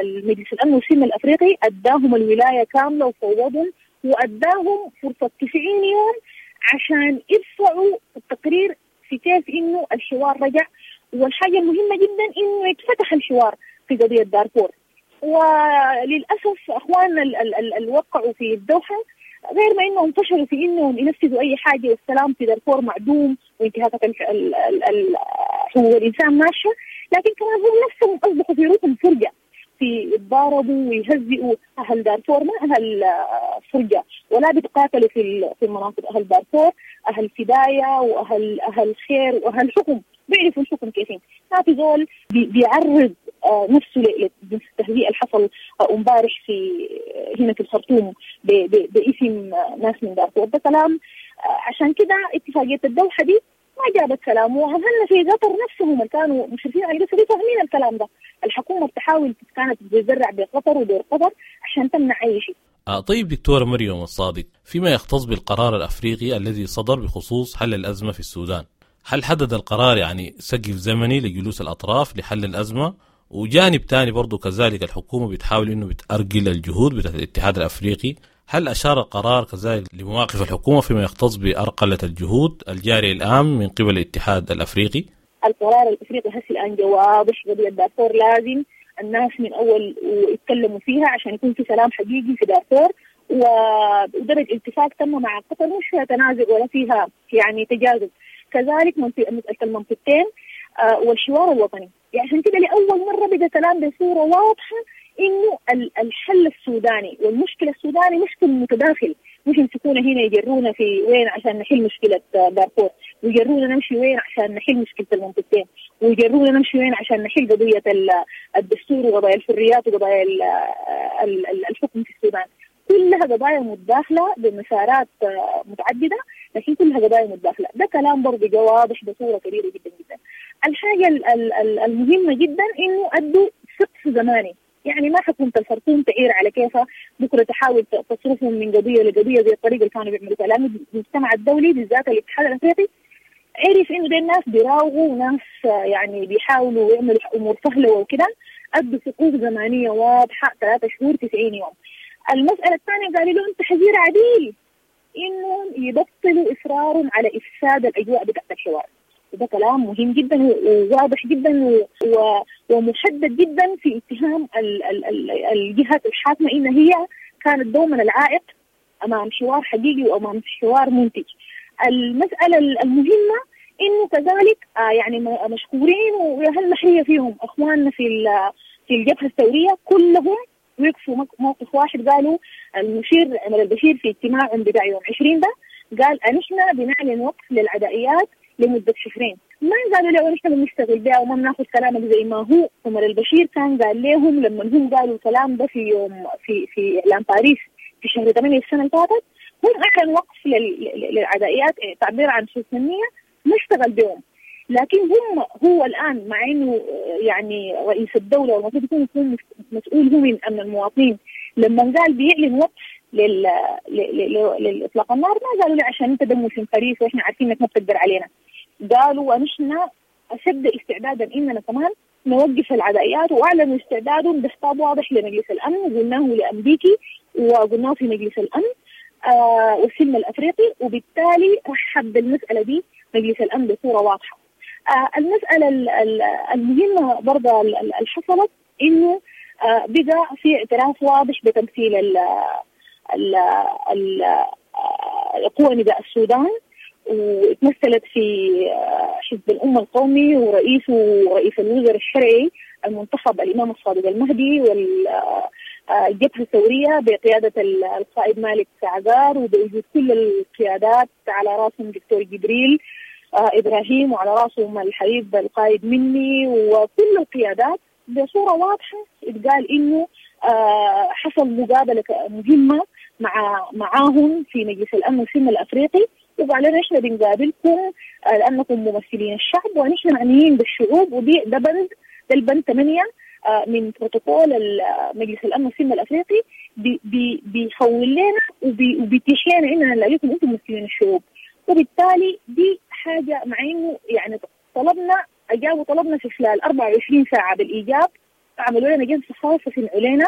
المجلس الأمن والسلم الأفريقي أداهم الولاية كاملة وفوضهم، وأداهم فرصة تسعين يوم عشان يرفعوا التقرير في كيف إنه الحوار رجع. والحاجة المهمة جدا إنه يتفتح الحوار في قضية دارفور. وللأسف أخواننا اللي وقعوا في الدوحة غير ما إنهم فشلوا في إنهم ينفذوا أي حاجة، والسلام في دارفور معدوم وانتهاكات حقوق الإنسان ماشية، لكن كمان هم نفسهم أصبحوا في روحهم فرجة، في يتضاربوا ويهزئوا أهل دارفور، ما أهل فرجة ولا بيتقاتلوا في في المناطق، أهل دارفور أهل فداية وأهل أهل خير وأهل حكم، بيعرفوا الحكم كيفين. ما في زول بيعرض نفسه للتهزيء اللي حصل امبارح في هنا في الخرطوم باسم ناس من دارفور، ده كلام. عشان كده اتفاقية الدوحة دي ما جابت كلام، وأهلنا في قطر نفسهم اللي كانوا مشرفين على القصة دي فاهمين الكلام ده. الحكومة بتحاول كانت بتزرع بقطر ودور قطر عشان تمنع أي شيء. آه طيب دكتورة مريم الصادق، فيما يختص بالقرار الأفريقي الذي صدر بخصوص حل الأزمة في السودان، هل حدد القرار يعني سقف زمني لجلوس الأطراف لحل الأزمة؟ وجانب تاني برضو كذلك الحكومة بتحاول إنه بتأرجل الجهود بتاعت الاتحاد الأفريقي، هل أشار القرار كذلك لمواقف الحكومة فيما يختص بأرقلة الجهود الجارية الآن من قبل الاتحاد الأفريقي؟ القرار الأفريقي هسه الآن واضح، قضية دارفور لازم الناس من أول ويتكلموا فيها عشان يكون في سلام حقيقي في دارفور، ودرج اتفاق تم مع قطر مش فيها تنازع ولا فيها يعني تجاذب. كذلك مسألة المنطقتين والحوار الوطني. يعني عشان كده لأول مرة بقى كلام بصورة واضحة إنه الحل السوداني والمشكلة السوداني مشكل متداخل، مش يمسكونا هنا يجرونا في وين عشان نحل مشكلة دارفور، ويجرونا نمشي وين عشان نحل مشكلة المنطقتين، ويجرونا نمشي وين عشان نحل قضية الدستور وقضايا الحريات وقضايا الحكم في السودان. كلها قضايا متداخلة بمسارات متعددة، لكن كلها قضايا متداخلة. ده كلام برضه واضح بصورة كبيرة جدا جدا. الحاجة المهمة جدا إنه أدوا سقف زماني، يعني ما حكومة الخرطوم تعير على كيفها بكرة تحاول تصرفهم من قضية لقضية زي الطريقة اللي كانوا بيعملوا فيها. لأنه المجتمع الدولي بالذات الاتحاد الأفريقي عرف إنه ده الناس بيراوغوا وناس يعني بيحاولوا يعملوا أمور سهلة وكده. أدوا سقوف زمانية واضحة ثلاثة شهور تسعين يوم. المسألة الثانية قالوا لهم تحذير عديل إنهم يبطلوا إصرارهم على إفساد الأجواء بتاعت الحوار. وده كلام مهم جدا وواضح جدا ومحدد جدا في اتهام الجهات الحاكمة إن هي كانت دوما العائق أمام حوار حقيقي وأمام حوار منتج. المسألة المهمة إنه كذلك يعني مشكورين وأهل محرية فيهم أخواننا في في الجبهة الثورية كلهم وقفوا موقف واحد. قالوا المشير عمر البشير في اجتماعهم بتاع يوم عشرين ده قال نحن بنعلن وقف للعدائيات لمدة شهرين. ما قالوا له نحن بنشتغل بها وما بناخذ كلامك زي ما هو. عمر البشير كان قال لهم لما هم قالوا الكلام ده في يوم في في إعلان باريس في شهر ثمانية السنة اللي فاتت، هم أعلن وقف للعدائيات تعبير عن حسن النية ما اشتغل بهم. لكن هم هو الآن مع إنه يعني رئيس الدولة والمفروض يكون يكون مسؤول هو من أمن المواطنين، لما قال بيعلن وقف لل... للإطلاق النار ما قالوا له عشان أنت دمه في خريف وإحنا عارفين إنك ما بتقدر علينا. قالوا ونحن أشد استعدادا إننا كمان نوقف العدائيات، وأعلنوا استعدادهم بخطاب واضح لمجلس الأمن وقلناه لأمريكي وقلناه في مجلس الأمن آه والسلم الأفريقي، وبالتالي رحب بالمسألة دي مجلس الأمن بصورة واضحة. آه المسألة المهمة برضه اللي حصلت إنه آه بقى في اعتراف واضح بتمثيل ال ال ال قوى نداء السودان، وتمثلت في حزب الأمة القومي ورئيسه ورئيس الوزراء الشرعي المنتخب الإمام الصادق المهدي، والجبهة الثورية بقيادة القائد مالك عقار، وبوجود كل القيادات على رأسهم دكتور جبريل إبراهيم وعلى رأسهم الحبيب القائد مني وكل القيادات. بصورة واضحة اتقال إنه حصل مقابلة مهمة مع معاهم في مجلس الأمن والسلم الأفريقي، وقال لنا إحنا بنقابلكم لأنكم ممثلين الشعب ونحن معنيين بالشعوب، ودي ده بند ده البند ثمانية من بروتوكول مجلس الأمن والسلم الأفريقي بي بي بيخول لنا وبيتيح لنا إننا نلاقيكم أنتم ممثلين الشعوب. وبالتالي دي حاجة مع إنه يعني طلبنا أجابوا طلبنا في خلال أربعة وعشرين ساعة بالإيجاب، عملوا لنا جلسة خاصة سمعوا لنا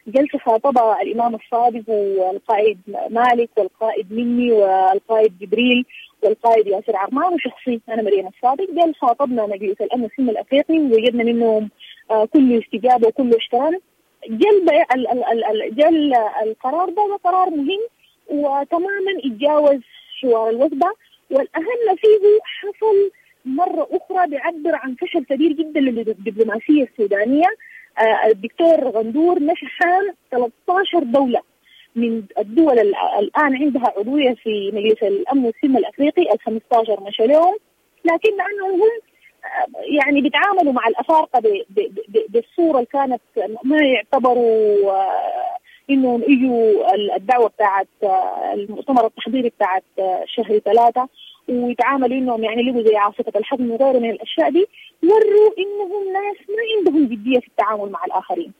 جلسة خاطبها الإمام الصادق والقائد مالك والقائد مني والقائد جبريل والقائد ياسر عرمان وشخصي أنا مريم الصادق. قال خاطبنا مجلس الأمن والسلم الأفريقي ووجدنا منهم كل استجابة وكل احترام. جل جل القرار ده قرار مهم وتماما اتجاوز حوار الوثبة، والأهم فيه حصل مرة أخرى بيعبر عن فشل كبير جدا للدبلوماسية السودانية. الدكتور غندور مشى ثلاثة عشر دولة من الدول الآن عندها عضوية في مجلس الأمن والسلم الأفريقي ال خمسة عشر مشى لهم، لكن لأنهم هم يعني بيتعاملوا مع الأفارقة بالصورة اللي كانت ما يعتبروا إنهم إجوا الدعوة بتاعت المؤتمر التحضيري بتاعت شهر ثلاثة، ويتعاملوا إنهم يعني لقوا زي عاصفة الحزم وغيره من الأشياء دي، وروا إنهم ناس ما عندهم جدية في التعامل مع الآخرين.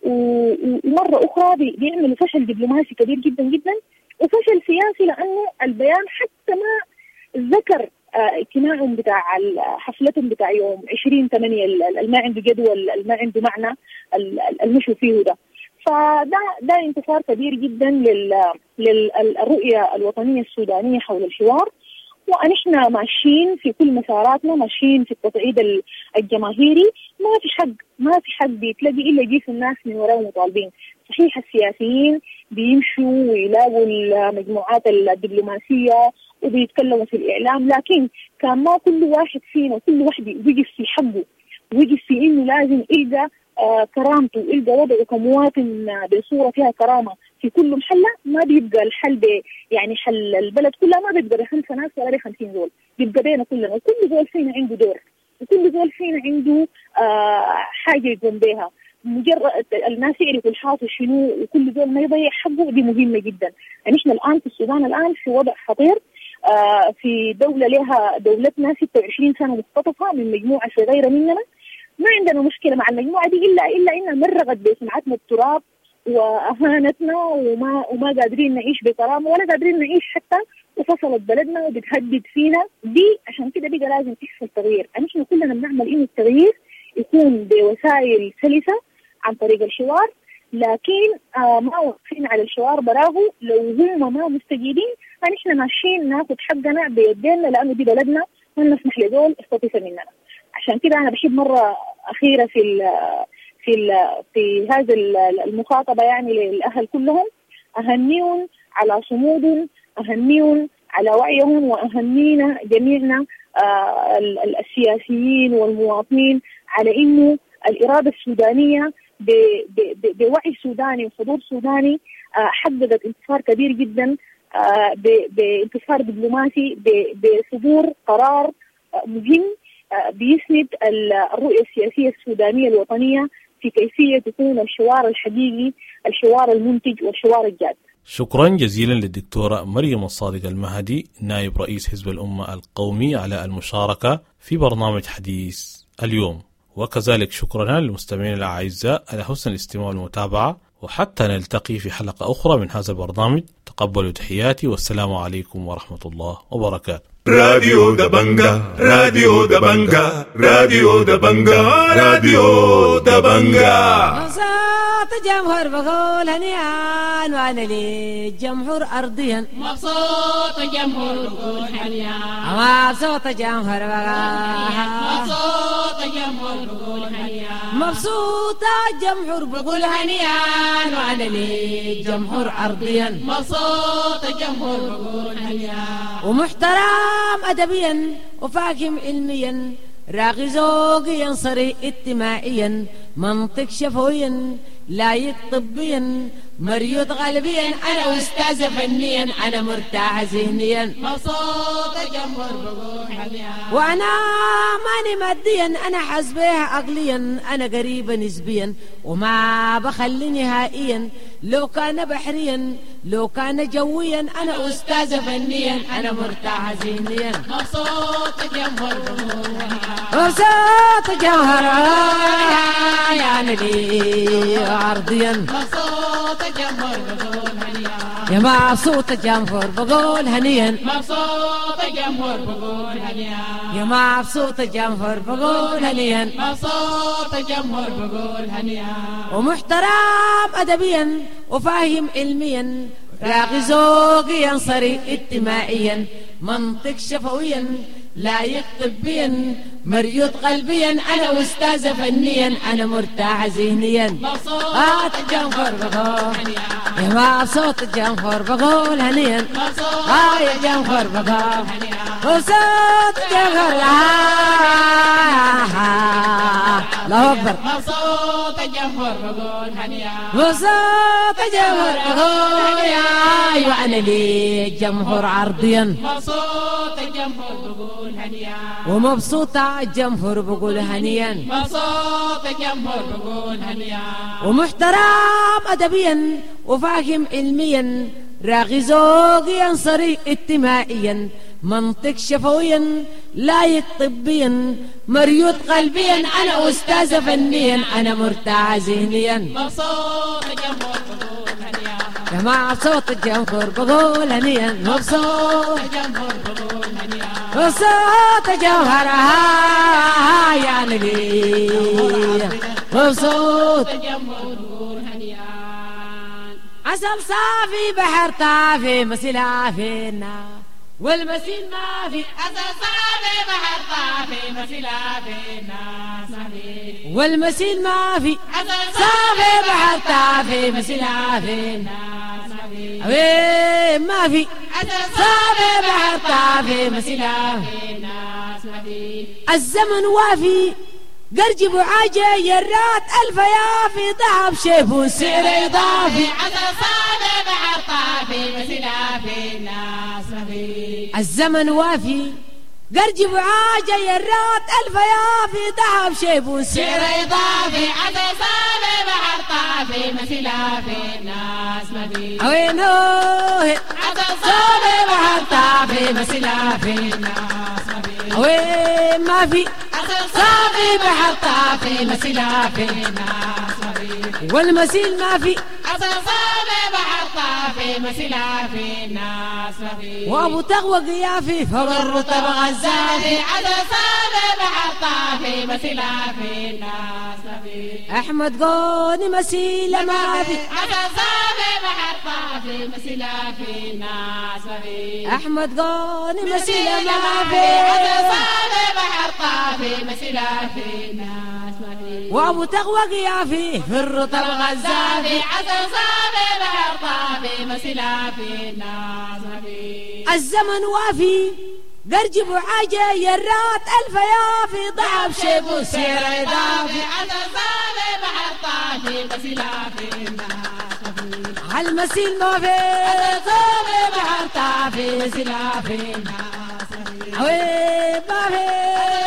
ومرة أخرى بيعملوا فشل دبلوماسي كبير جدا جدا وفشل سياسي، لأنه البيان حتى ما ذكر اجتماعهم بتاع حفلتهم بتاع يوم عشرين ثمانية اللي ما عنده جدول اللي ما عنده معنى المشوا فيه ده. فده ده انتصار كبير جدا للرؤية الوطنية السودانية حول الحوار، ونحن ماشيين في كل مساراتنا، ماشيين في التصعيد الجماهيري. ما في حق ما في حق بيتلاقي إلا يجيس الناس من وراء مطالبين، صحيح السياسيين بيمشوا ويلاقوا المجموعات الدبلوماسية وبيتكلموا في الإعلام، لكن كان ما كل واحد فينا وكل واحد وقف في حقه، وقف في إنه لازم يلقى آه كرامته، يلقى وضعه كمواطن بصورة فيها كرامة في كل محلة، ما بيبقى الحل ب يعني حل البلد كلها ما بيبقى بخمسة ناس ولا بخمسين زول، بيبقى بينا كلنا، وكل زول فينا عنده دور، وكل زول فينا عنده آه حاجة يقوم بها. مجرد الناس يعرفوا الحاصل شنو وكل زول ما يضيع حقه، دي مهمة جدا. نحن الآن في السودان الآن في وضع خطير، آه في دولة لها دولتنا ستة وعشرين سنة مختطفة من مجموعة صغيرة مننا، ما عندنا مشكلة مع المجموعة دي إلا إلا إنها مرغت بسمعتنا التراب وأهانتنا، وما وما قادرين نعيش بكرامة ولا قادرين نعيش حتى، وفصلت بلدنا وبتهدد فينا دي. عشان كده بقى لازم يحصل تغيير. نحن كلنا بنعمل إنه التغيير يكون بوسائل سلسة عن طريق الحوار، لكن آه ما واقفين على الحوار براه. لو هم ما مستجيبين فنحن ماشيين ناخذ حقنا بيدينا، لأنه دي بلدنا ما نسمح لدول يستطيف مننا. عشان كده أنا بحب مرة أخيرة في ال في ال في هذا المخاطبة يعني للأهل كلهم، أهنيهم على صمودهم، أهنيهم على وعيهم، وأهنينا جميعنا آه السياسيين والمواطنين على إنه الإرادة السودانية بوعي سوداني وحضور سوداني آه حققت انتصار كبير جدا، آه بانتصار دبلوماسي، بصدور قرار آه مهم بيسند الرؤية السياسية السودانية الوطنية في كيفية يكون الحوار الحقيقي، الحوار المنتج والحوار الجاد. شكرا جزيلا للدكتورة مريم الصادق المهدي نائب رئيس حزب الأمة القومي على المشاركة في برنامج حديث اليوم، وكذلك شكرا للمستمعين الأعزاء على حسن الاستماع والمتابعة، وحتى نلتقي في حلقة أخرى من هذا البرنامج. تقبلوا تحياتي والسلام عليكم ورحمة الله وبركاته. راديو دبنجا، راديو دبنجا، راديو دبنجا، راديو دبنجا. مبسوط الجمهور بقول هنيئا وانا للجمهور ارضيا. مبسوط الجمهور بقول هنيئا، مبسوط الجمهور بقول، مبسوط الجمهور بقول هنيئا، مبسوط الجمهور بقول هنيئا وانا للجمهور ارضيا. مبسوط الجمهور بقول هنيئا، ومحترم أدبيا وفاهم علميا، راقي ذوقيا صريح اجتماعيا، منطق شفويا لايق طبيا، مريض غالبيا، أنا أستاذ فنيا، أنا مرتاح ذهنيا. مبسوط الجمهور بقول هنيئا، وأنا ماني ماديا، أنا حاسبها عقليا، أنا قريبة نسبيا وما بخلي نهائيا، لو كان بحريا لو كان جويا، أنا أستاذ فنيا، أنا مرتاح ذهنيا. مبسوط الجمهور بقول هنيئا، مبسوط الجمهور يعني لي عرضيا. مبسوط الجمهور بقول هنيئا، يا مبسوط الجمهور بقول هنيئا، مبسوط الجمهور بقول هنيئا، يا مبسوط الجمهور بقول هنيئا، مبسوط الجمهور بقول هنيئا، ومحترم أدبيا وفاهم علميا، راقي ذوقيا صريح اجتماعيا، منطق شفويا لايق طبيا، مريض قلبيا، أنا أستاذ فنيا، أنا مرتاح ذهنيا. مبسوط الجمهور بقول يا مبسوط الجمهور بقول هنيئا، آه يا جمهور بقول مبسوط الجمهور، الله أكبر. مبسوط الجمهور بقول هنيئا، مبسوط الجمهور بقول يا وأنا لي جمهور عرضيا. مبسوط الجمهور بقول هنيئا، ومبسوط الجمهور بقول هنيئا، مبسوط الجمهور بقول هنيئا، ومحترم أدبيا وفاهم علميا، راقي ذوقيا صريح اجتماعيا، منطق شفويا لايق طبيا، مريض قلبيا، أنا أستاذ فنيا، أنا مرتاح ذهنيا. مبسوط الجمهور بقول هنيئا، يا مبسوط الجمهور بقول هنيئا، مبسوط الجمهور بقول هنيئا، مبسوط الجمهور يعني لي مبسوط الجمهور بقول هنيئا. عسل صافي بحر طافي مسلا فينا، والمسيل ما في عسل صافي بحر طافي مسيلة في الناس ما في والمسيل ما في عسل صافي بحر طافي مسيلة في الناس ما في أوي ما في عسل صافي بحر طافي مسيلة في الناس ما في الزمن وافي قرجب وعاجة يرات ألف يافي ذهب شيف سعر إضافي عسل صافي بحر طافي مسيلة في الناس ما في الزمن وافي قرجب وعاجة يرات ألف يافي ذهب شيف سعر إضافي عسل صافي بحر طافي مسيلة في الناس ما في أوينوه عسل صافي بحر طافي مسيلة في الناس ما في أوي ما في عسل صافي بحر طافي مسيلة في الناس ما في والمسيل ما في عسل صافي بحر طافي مسيلة في الناس ما في وابو تغوى قيافي فوق الرطب غزافي عسل صافي بحر طافي مسيلة في الناس ما في احمد قوني مسيلة ما في عسل صافي بحر طافي مسيلة في الناس ما في احمد قوني مسيلة ما في عسل صافي بحر طافي مسيلة في الناس ما في وابو تغوى قيافي في الرطب غزافي عسل صافي بحر طافي مسيلة في الناس ما في الزمن وافي قرجب وعاجة يرات ألف يافي ضعف شيب سعر إضافي عسل صافي بحر طافي مسيلة في الناس ما في عالمسيل ما في صافي بحر طافي مسيلة في الناس ما في أوي ما في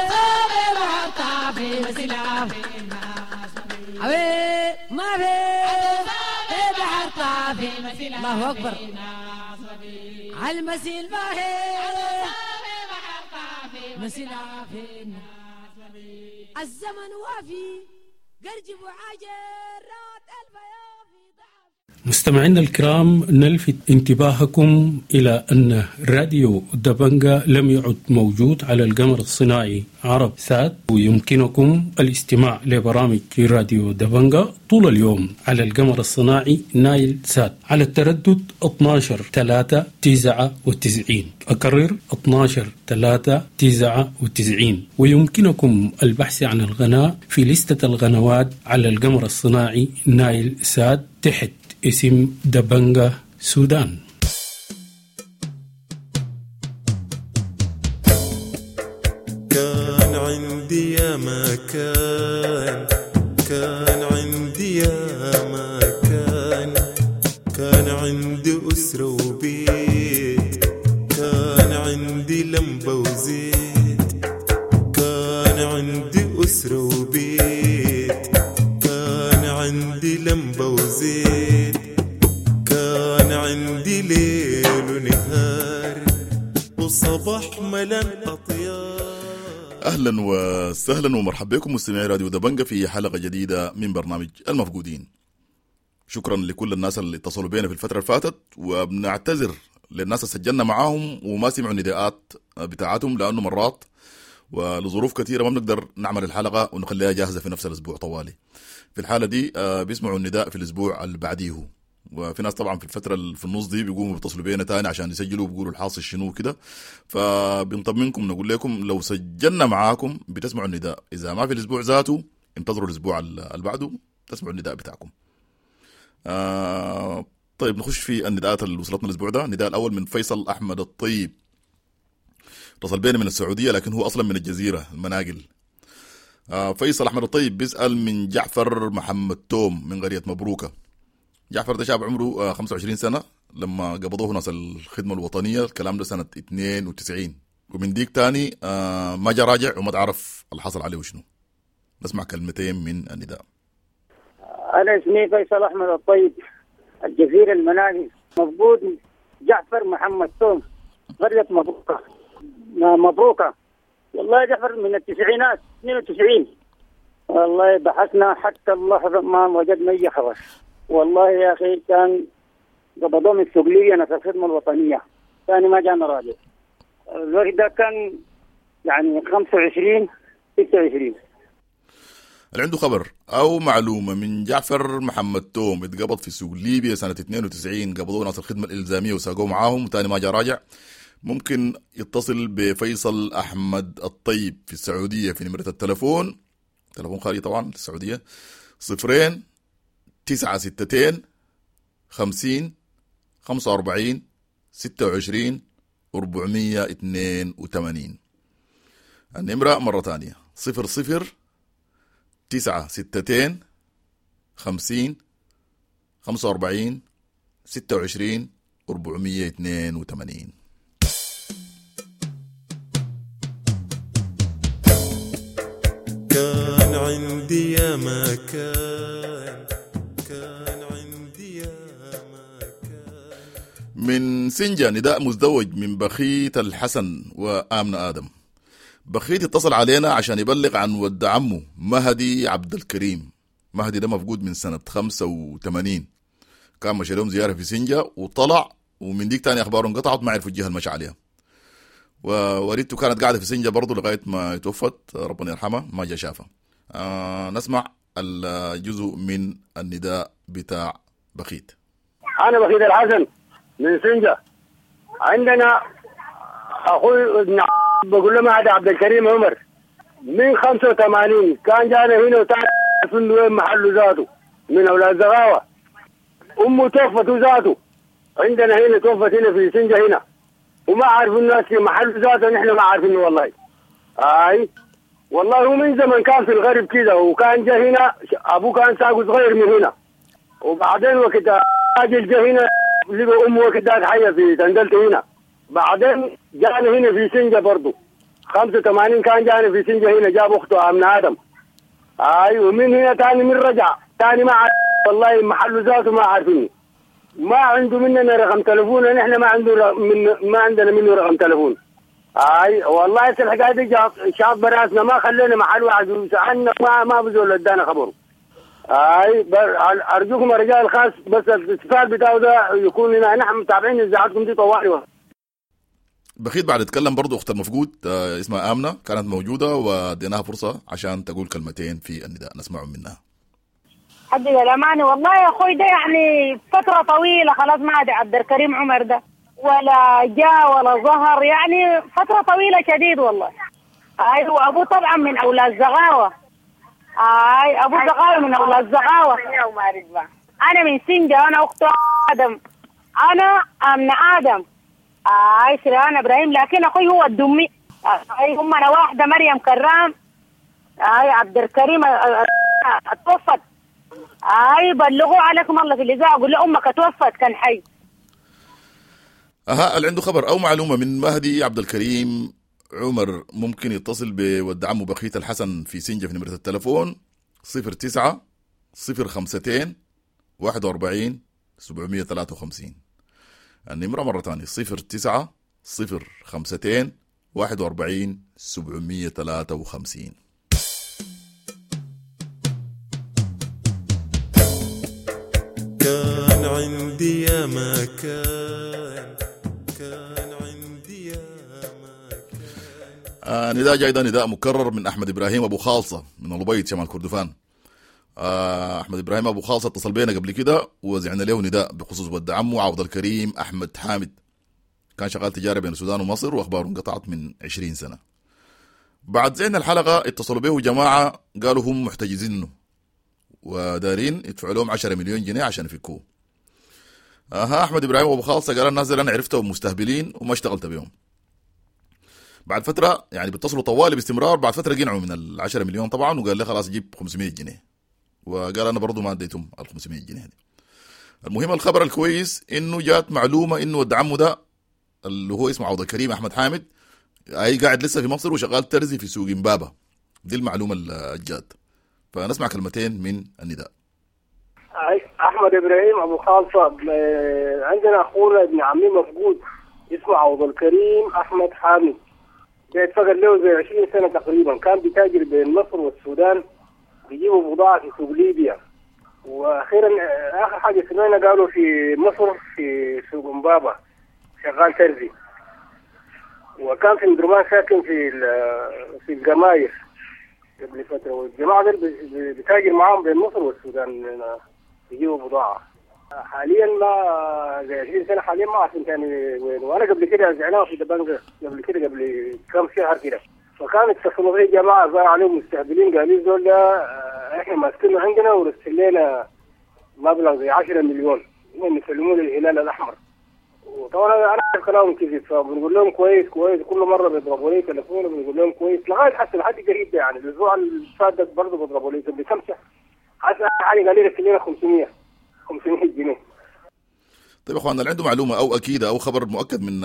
صافي بحر طافي مسيلة في الناس ما في أوي ما في صافي بحر طافي مسيلة الله أكبر في الناس ما في عالمسيل ما في صافي بحر طافي مسيلة في الناس ما في الزمن وافي قرجب وعاجة رات ألف يافي ضعف مستمعينا الكرام، نلفت انتباهكم إلى أن راديو دبنجا لم يعد موجود على القمر الصناعي عرب سات، ويمكنكم الاستماع لبرامج راديو دبنجا طول اليوم على القمر الصناعي نايل سات على التردد اثناشر ثلاثة تسعة وتسعين. أكرر اثناشر ثلاثة تسعة وتسعين. ويمكنكم البحث عن القناة في لستة القنوات على القمر الصناعي نايل سات تحت اسم دبنجا سودان. كان عندي يا ما كان، كان عندي يا ما كان، كان عندي أسرة وبيت، كان عندي لمبة وزيت، كان عندي أسرة وبيت، كان عندي لمبة وزيت، كان عندي ليل ونهار وصباح ملان أطيار. اهلا وسهلا ومرحبا بكم مستمعي راديو دبنجا في حلقة جديدة من برنامج المفقودين. شكرا لكل الناس اللي اتصلوا بينا في الفترة اللي فاتت، وبنعتذر للناس اللي سجلنا معاهم وما سمعوا النداءات بتاعتهم، لانه مرات ولظروف كثيرة ما بنقدر نعمل الحلقة ونخليها جاهزة في نفس الاسبوع طوالي. في الحالة دي بيسمعوا النداء في الاسبوع اللي بعديه، وفي ناس طبعا في الفترة اللي في النص دي بيقوموا بيتصلوا بينا تاني عشان يسجلوا وبيقولوا الحاصل شنو وكده. فبنطمنكم نقول لكم لو سجلنا معاكم بتسمعوا النداء، اذا ما في الاسبوع ذاته انتظروا الاسبوع اللي بعده تسمعوا النداء بتاعكم. آه طيب نخش في النداءات اللي وصلتنا الاسبوع ده. النداء الاول من فيصل احمد الطيب، اتصل بينا من السعودية لكن هو اصلا من الجزيرة المناقل. آه فيصل احمد الطيب بيسال من جعفر محمد توم من قرية مبروكه. جعفر ده شاب عمره خمسة وعشرين سنة لما قبضوه ناس الخدمة الوطنية، الكلام ده سنة اثنين وتسعين، ومن ديك تاني ما جا راجع وما تعرف اللي حصل عليه وشنو. نسمع كلمتين من النداء. أنا اسمي فيصل أحمد الطيب، الجزيرة المناقل، مفقود جعفر محمد توم، قرية مبروكة. مبروكة والله جعفر من التسعينات اثنين وتسعين. والله بحثنا حتى اللحظة ما وجدنا أي خبر. والله يا أخي كان قبضوه من السوق ناس الخدمة الوطنية، ثاني ما جانا راجع. الوقت ده كان يعني خمسة وعشرين ستة وعشرين. اللي عنده خبر أو معلومة من جعفر محمد توم اتقبض في سوق ليبيا سنة اثنين وتسعين، قبضوه ناس الخدمة الإلزامية وساقوه معاهم وتاني ما جا راجع، ممكن يتصل بفيصل أحمد الطيب في السعودية في نمرة التلفون، تلفون خارجي طبعا للسعودية، صفرين تسعة ستتين خمسين خمسة وأربعين ستة وعشرين أربعمية اتنين وتمانين. النمرة مرة تانية صفر صفر تسعة ستتين خمسين خمسة وأربعين ستة وعشرين أربعمية اتنين وتمانين. كان عندي يا ما كان، كان عندي يا ما كان. من سنجة نداء مزدوج من بخيت الحسن وآمنة آدم. بخيت اتصل علينا عشان يبلغ عن ود عمه مهدي عبد الكريم. مهدي ده مفقود من سنة خمسة وثمانين، كان مشى لهم زيارة في سنجة وطلع، ومن ديك تاني أخباره انقطعت، ما عرفوا الجهة المشى عليها. ووالدته كانت قاعدة في سنجة برضو لغاية ما توفت، ربنا يرحمها، ما جا شافها. آه نسمع الجزء من النداء بتاع بخيت. أنا بخيت الحسن من سنجة. عندنا أخوي ابن بقول له مهدي عبد الكريم عمر من خمسة وثمانين كان جانا هنا وتعرف وين محله ذاته، من أولاد زغاوة. أمه توفت ذاته عندنا هنا، توفت هنا في سنجة هنا، وما عارفين الناس في محل ذاته، نحن ما عارفينه والله. اي والله هو من زمن كان في الغرب كده، وكان جا هنا ابوه كان ساقه صغير من هنا، وبعدين وقت راجل جا هنا لقى امه وقت ذاك حيه في تندلته هنا، بعدين جانا هنا في سنجة برضه خمسة وثمانين كان جانا في سنجة هنا، جاب اخته امن ادم. اي ومن هنا تاني من رجع تاني ما عارف والله محله ذاته ما عارفينه، ما عنده مننا رقم تلفون، نحن ما عنده من ما عندنا منه رقم تلفون. اي والله الحكايه دي شاط براسنا، ما خلينا محل واحد سالنا، ما ما بزول ادانا خبره. اي ارجوكم الرجال الخاص بس الاتصال بتاعه ده يكون لنا، نحن متابعين اذاعتكم دي طوالي. بخيت بعد اتكلم برضو اخت المفقود اسمها امنه، كانت موجوده واديناها فرصه عشان تقول كلمتين في النداء نسمعهم منها. حد الأمانة والله يا أخوي ده يعني فترة طويلة خلاص ما عاد عبد الكريم عمر ده ولا جاء ولا ظهر، يعني فترة طويلة شديد والله. أي وأبوه طبعا من أولاد زغاوة. أي أبوه زغاوة من أولاد زغاوة. أنا من سنجة، أنا أخت آدم، أنا أمن آدم. أي سريان إبراهيم، لكن أخوي هو الدمي. أي هم أنا واحدة مريم كرام. أي عبد الكريم اتوفت. اي بلغوا عليكم الله في الاذاعه، قول له امك توفت كان حي. اها اللي عنده خبر او معلومه من مهدي عبد الكريم عمر ممكن يتصل بود عمه بخيت الحسن في سنجة في نمرة التلفون صفر تسعة صفر خمستين واحد وأربعين سبعمية ثلاثة وخمسين. النمرة مرة ثانية صفر تسعة صفر خمستين واحد وأربعين سبعمية ثلاثة وخمسين. كان عندي يا ما كان، كان عندي يا ما كان. آه نداء جاي ده نداء مكرر من أحمد إبراهيم أبو خالصة من الأبيض شمال كردفان. آه أحمد إبراهيم أبو خالصة اتصل بينا قبل كده وزعنا له نداء بخصوص ود عمه عوض الكريم أحمد حامد، كان شغال تجارة بين السودان ومصر وأخباره انقطعت من عشرين سنة. بعد زعنا الحلقة اتصلوا به جماعة قالوا هم محتجزينه ودارين يدفعوا لهم عشرة مليون جنيه عشان يفكوه. اها احمد ابراهيم ابو خالصه قال الناس اللي انا عرفتهم مستهبلين وما اشتغلت بهم. بعد فتره يعني بيتصلوا طوالي باستمرار، بعد فتره قنعوا من ال عشرة مليون طبعا، وقال لي خلاص جيب خمسمية جنيه، وقال انا برضو ما اديتهم ال خمسمية جنيه دي. المهم الخبر الكويس انه جات معلومه انه ود عمه ده اللي هو اسمه عوض الكريم احمد حامد اي قاعد لسه في مصر وشغال ترزي في سوق امبابه. دي المعلومه اللي جات. فنسمع كلمتين من النداء. أحمد إبراهيم أبو خالصة، عندنا أخونا ابن عمي مفقود اسمه عوض الكريم أحمد حامد، ده اتفقد له زي عشرين سنة تقريبا، كان بيتاجر بين مصر والسودان، بيجيبوا بضاعة في سوق ليبيا، وأخيرا آخر حاجة سمعنا قالوا في مصر في سوق امبابة شغال ترزي، وكان في مدرمان ساكن في في الجماير قبل فترة، والجماعة دول بتاجر معاهم بين مصر والسودان بيجيبوا بضاعة. حاليا ما زي عشرين سنة حاليا ما عارفين ثاني وين. وانا قبل كده زعناه في دبنجه قبل كده قبل كم شهر كده، فكان اتصلوا بي جماعة ظهر عليهم مستهبلين، قالوا زول ده احنا ماسكينه عندنا ورسل لنا مبلغ زي عشرة مليون هم يسلموه للهلال الاحمر. وطبعا انا عارف كلامهم كذب، فبنقول لهم كويس كويس، كل مرة بيضربوا لي تليفون وبنقول لهم كويس لغاية حتى لحد قريب ده، يعني الاسبوع اللي فات ده برضه بيضربوا لي قبل كم شهر. حتى حالي قال لي رسل لنا خمسمية خمسمية جنيه. طيب يا اخوان، اللي عنده معلومة او اكيدة او خبر مؤكد من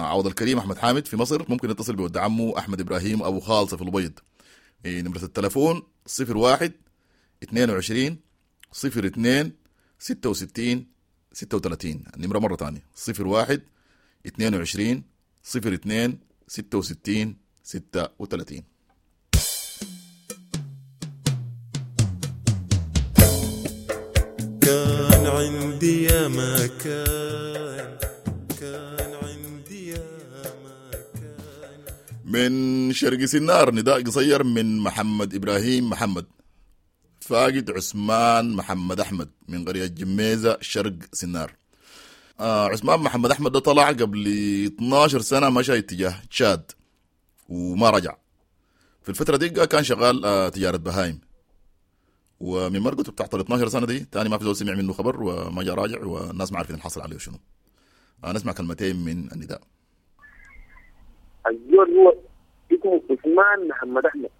عوض الكريم احمد حامد في مصر ممكن يتصل بود عمه احمد ابراهيم ابو خالصة في البيض. نمره التليفون صفر واحد اثنين وعشرين صفر اثنين ستة وستين ستة وثلاثين. النمرة مرة ثانية صفر واحد اثنين وعشرين صفر اثنين ستة وستين ستة وثلاثين. كان عندي يا ما كان، كان عندي يا ما كان. من شرق سنار نداء قصير من محمد إبراهيم محمد، فاقد عثمان محمد أحمد من قرية جميزة شرق سنار. آه عثمان محمد أحمد ده طلع قبل اثناشر سنة، مشى اتجاه تشاد وما رجع. في الفترة دي كان شغال آه تجارة بهايم، ومن مرقته بتاعت اثناشر سنة دي تاني ما في زول سمع منه خبر وما جاء راجع، والناس ما عارفين الحصل عليه شنو. آه نسمع كلمتين من النداء. الزول هو اسمه عثمان محمد أحمد.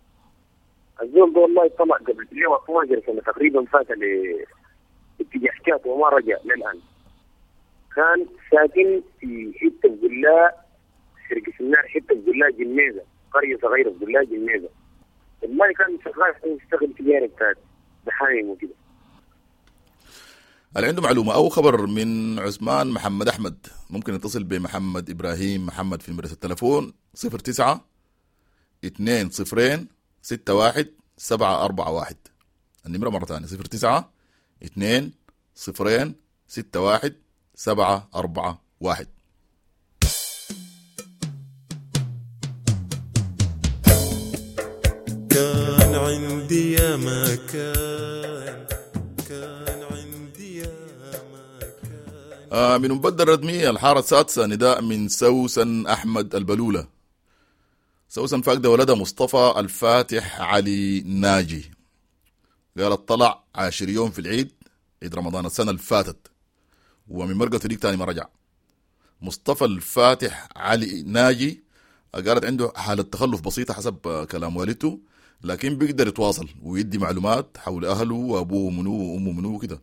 الزول ده والله طلع قبل اثناشر سنة تقريبا، فات لاتجاه حكايته وما رجع للآن. كان ساكن في حتة بقلاء شرق سنار، حتة بقلاء جميزة، قرية صغيرة بقلاء جميزة. والله كان شغال يشتغل تجارة بتاعت بحايم وكده. اللي عنده معلومة أو خبر من عثمان محمد أحمد ممكن يتصل بمحمد إبراهيم محمد في نمرة التلفون صفر تسعة اثنين صفرين ستة واحد سبعة أربعة واحد. النمرة مرة ثانية صفر تسعة اثنين صفرين ستة واحد سبعة أربعة واحد. كان عندي يا ما كان، كان عندي يا ما كان. آه من مبدل الردمية الحارة السادسة نداء من سوسن أحمد البلولة. سوسن فاقدة ولدها مصطفى الفاتح علي ناجي، قالت طلع عاشر يوم في العيد، عيد رمضان السنة اللي فاتت، ومن مرقته ديك تاني ما رجع. مصطفى الفاتح علي ناجي قالت عنده حالة تخلف بسيطة حسب كلام والدته، لكن بيقدر يتواصل ويدي معلومات حول أهله وأبوه منو وأمه منو وكده.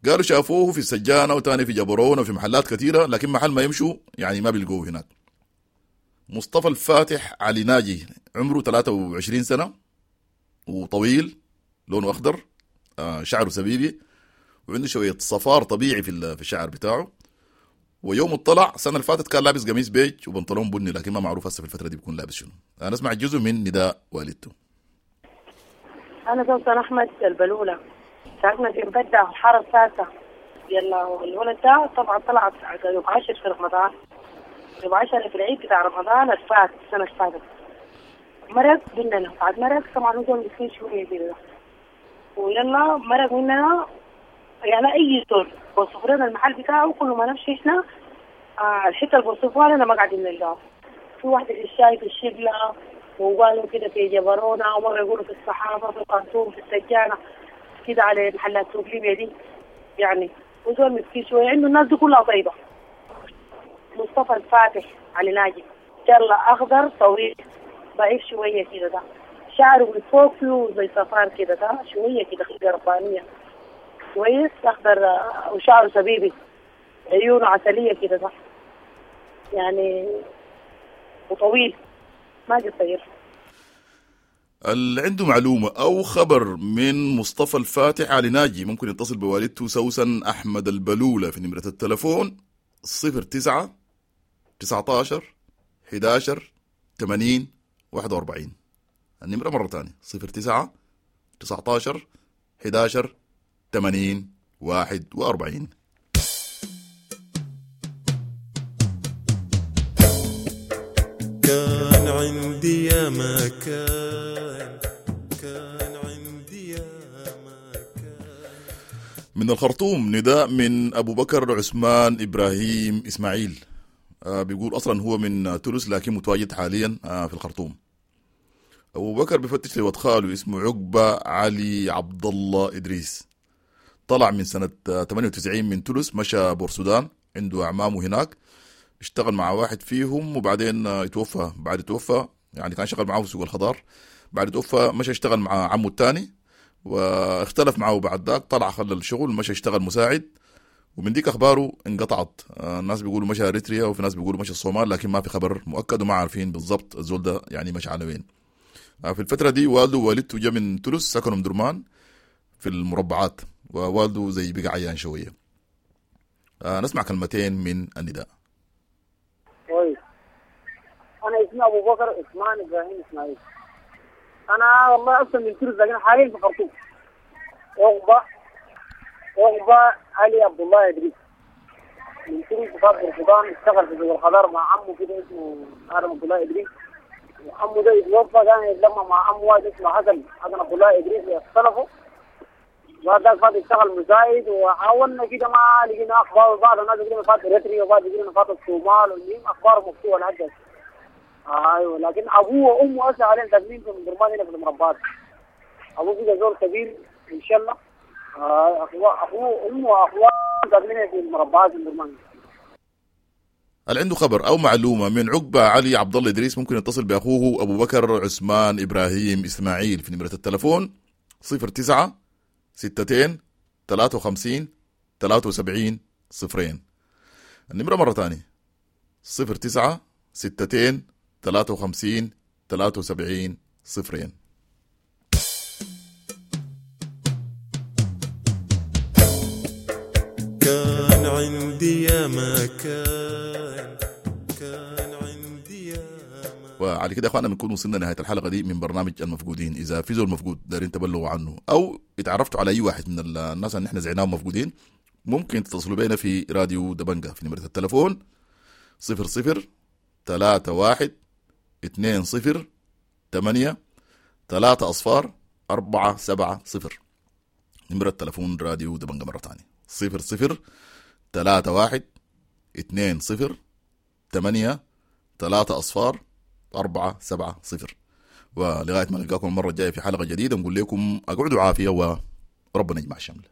قالوا شافوه في السجانة وتاني في جبرون وفي محلات كثيرة، لكن محل ما يمشوا يعني ما بيلقوه هناك. مصطفى الفاتح علي ناجي عمره ثلاثة وعشرين سنة وطويل، لونه أخضر، شعره سبيبي، وعنده شوية صفار طبيعي في الشعر بتاعه. ويوم الطلع السنة اللي فاتت كان لابس قميص بيج وبنطلون بني، لكن ما معروف هسه في الفترة دي بيكون لابس شنو. أنا أسمع جزء من نداء والدته. أنا سوسن أحمد البلولة، ساكنة في مبدع الحارة السادسة. يلا الولد ده طبعا طلعت يوم عشر في رمضان، يوم عشر في العيد بتاع رمضان الفات السنة اللي فاتت. مرق مننا، بعد مرق طبعا هو مسكين شوية كده، ويلا مرق مننا يعني أي زول بوصف لنا المحل بتاعه، كل ما نمشي إحنا آه الحتة اللي بوصفوها لنا ما قاعدين نلقاها. في واحدة في الشاي في الشبلة، وقالوا كده في جبرونة، ومرة يقولوا في الصحافة في الخرطوم في السجانة كده على محلات سوق ليبيا دي يعني. وزول مسكين شوية، عنده الناس دي كلها طيبة. مصطفى الفاتح علي ناجي، يلا أخضر طويل ضعيف شوية كده، ده شعره من فوق فيه زي صفار كده، ده شوية كده خلقة ربانية كويس، أخضر وشعره سبيبي، عيونه عسلية كده ده يعني، وطويل ما قصير. اللي عنده معلومة أو خبر من مصطفى الفاتح علي ناجي ممكن يتصل بوالدته سوسن أحمد البلولة في نمرة التلفون صفر تسعة تسعتاشر حداشر ثمانين واحد وأربعين. النمرة مرة تانية صفر تسعة تسعتاشر حداشر ثمانين واحد وأربعين. كان عندي يا ما كان، كان عندي يا ما كان. من الخرطوم نداء من أبو بكر عثمان إبراهيم إسماعيل، آه بيقول أصلا هو من تونس لكن متواجد حاليا آه في الخرطوم. أبو بكر بفتش لود خاله اسمه عقبة علي عبد الله إدريس، طلع من سنة ثمانية وتسعين من تونس، مشى بورسودان، عنده أعمامه هناك، اشتغل مع واحد فيهم وبعدين اتوفى. بعد اتوفى يعني كان شغال معاه في سوق الخضار، بعد اتوفى مشى اشتغل مع عمه الثاني واختلف معه بعد ذاك، طلع خلى الشغل مشى اشتغل مساعد، ومن ديك اخباره انقطعت. الناس بيقولوا مشى اريتريا وفي ناس بيقولوا مشى الصومال، لكن ما في خبر مؤكد وما عارفين بالضبط الزول ده يعني مشى على وين. في الفترة دي والده ووالدته جا من تونس، سكنوا من درمان في المربعات، ووالده زي بقى عيان شوية. نسمع كلمتين من النداء. كويس. أنا اسمي أبو بكر عثمان إبراهيم إسماعيل. أنا والله أصلا من تونس لكن حاليا في الخرطوم. عقبة عقبة علي عبد الله إدريس من تونس، فات السودان، اشتغل في سوق الخضار مع عمه كده اسمه آدم عبد الله إدريس، وعمه ده يتوفى، كان يتلمى مع عمه واحد اسمه حسن حسن عبد الله إدريس، اختلفوا بعد ذاك فات اشتغل مساعد، وحاولنا كده ما لقينا أخبار. بعض الناس يقولون فات إريتريا وبعض يقولون فات الصومال، والمهم أخبار مفتوحة لحد هسه. ايوه، لكن ابوه وامه هسه حاليا ساكنين في درمان هنا في المربعات. ابوه كده زول كبير ان شاء الله. آه اخوه اخوه امه واخوه ساكنين في المربعات في درمان. اللي عنده خبر او معلومة من عقبه علي عبد الله ادريس ممكن يتصل باخوه ابو بكر عثمان ابراهيم اسماعيل في نمره التلفون صفر تسعة ستتين ثلاثة وخمسين ثلاثة وسبعين صفرين. النمرة مرة ثانية صفر تسعة ستتين ثلاثة وخمسين ثلاثة وسبعين صفرين. كان عندي يا ما كان، كان عندي يا ما. وعلى كده يا اخوانا بنكون وصلنا نهاية الحلقة دي من برنامج المفقودين. إذا في زول مفقود دارين تبلغوا عنه أو اتعرفتوا على أي واحد من الناس اللي احنا زعناهم مفقودين، ممكن تتصلوا بينا في راديو دبنجة في نمرة التلفون صفر صفر ثلاثة واحد اثنين صفر ثمانية ثلاثة أصفار أربعة سبعة صفر. نمرة تلفون راديو دبنجة مرة تانية صفر صفر ثلاثة واحد اثنين صفر ثمانية ثلاثة أصفار أربعة سبعة صفر. ولغاية ما نلقاكم المرة الجاية في حلقة جديدة نقول لكم أقعدوا عافية وربنا يجمع الشمل.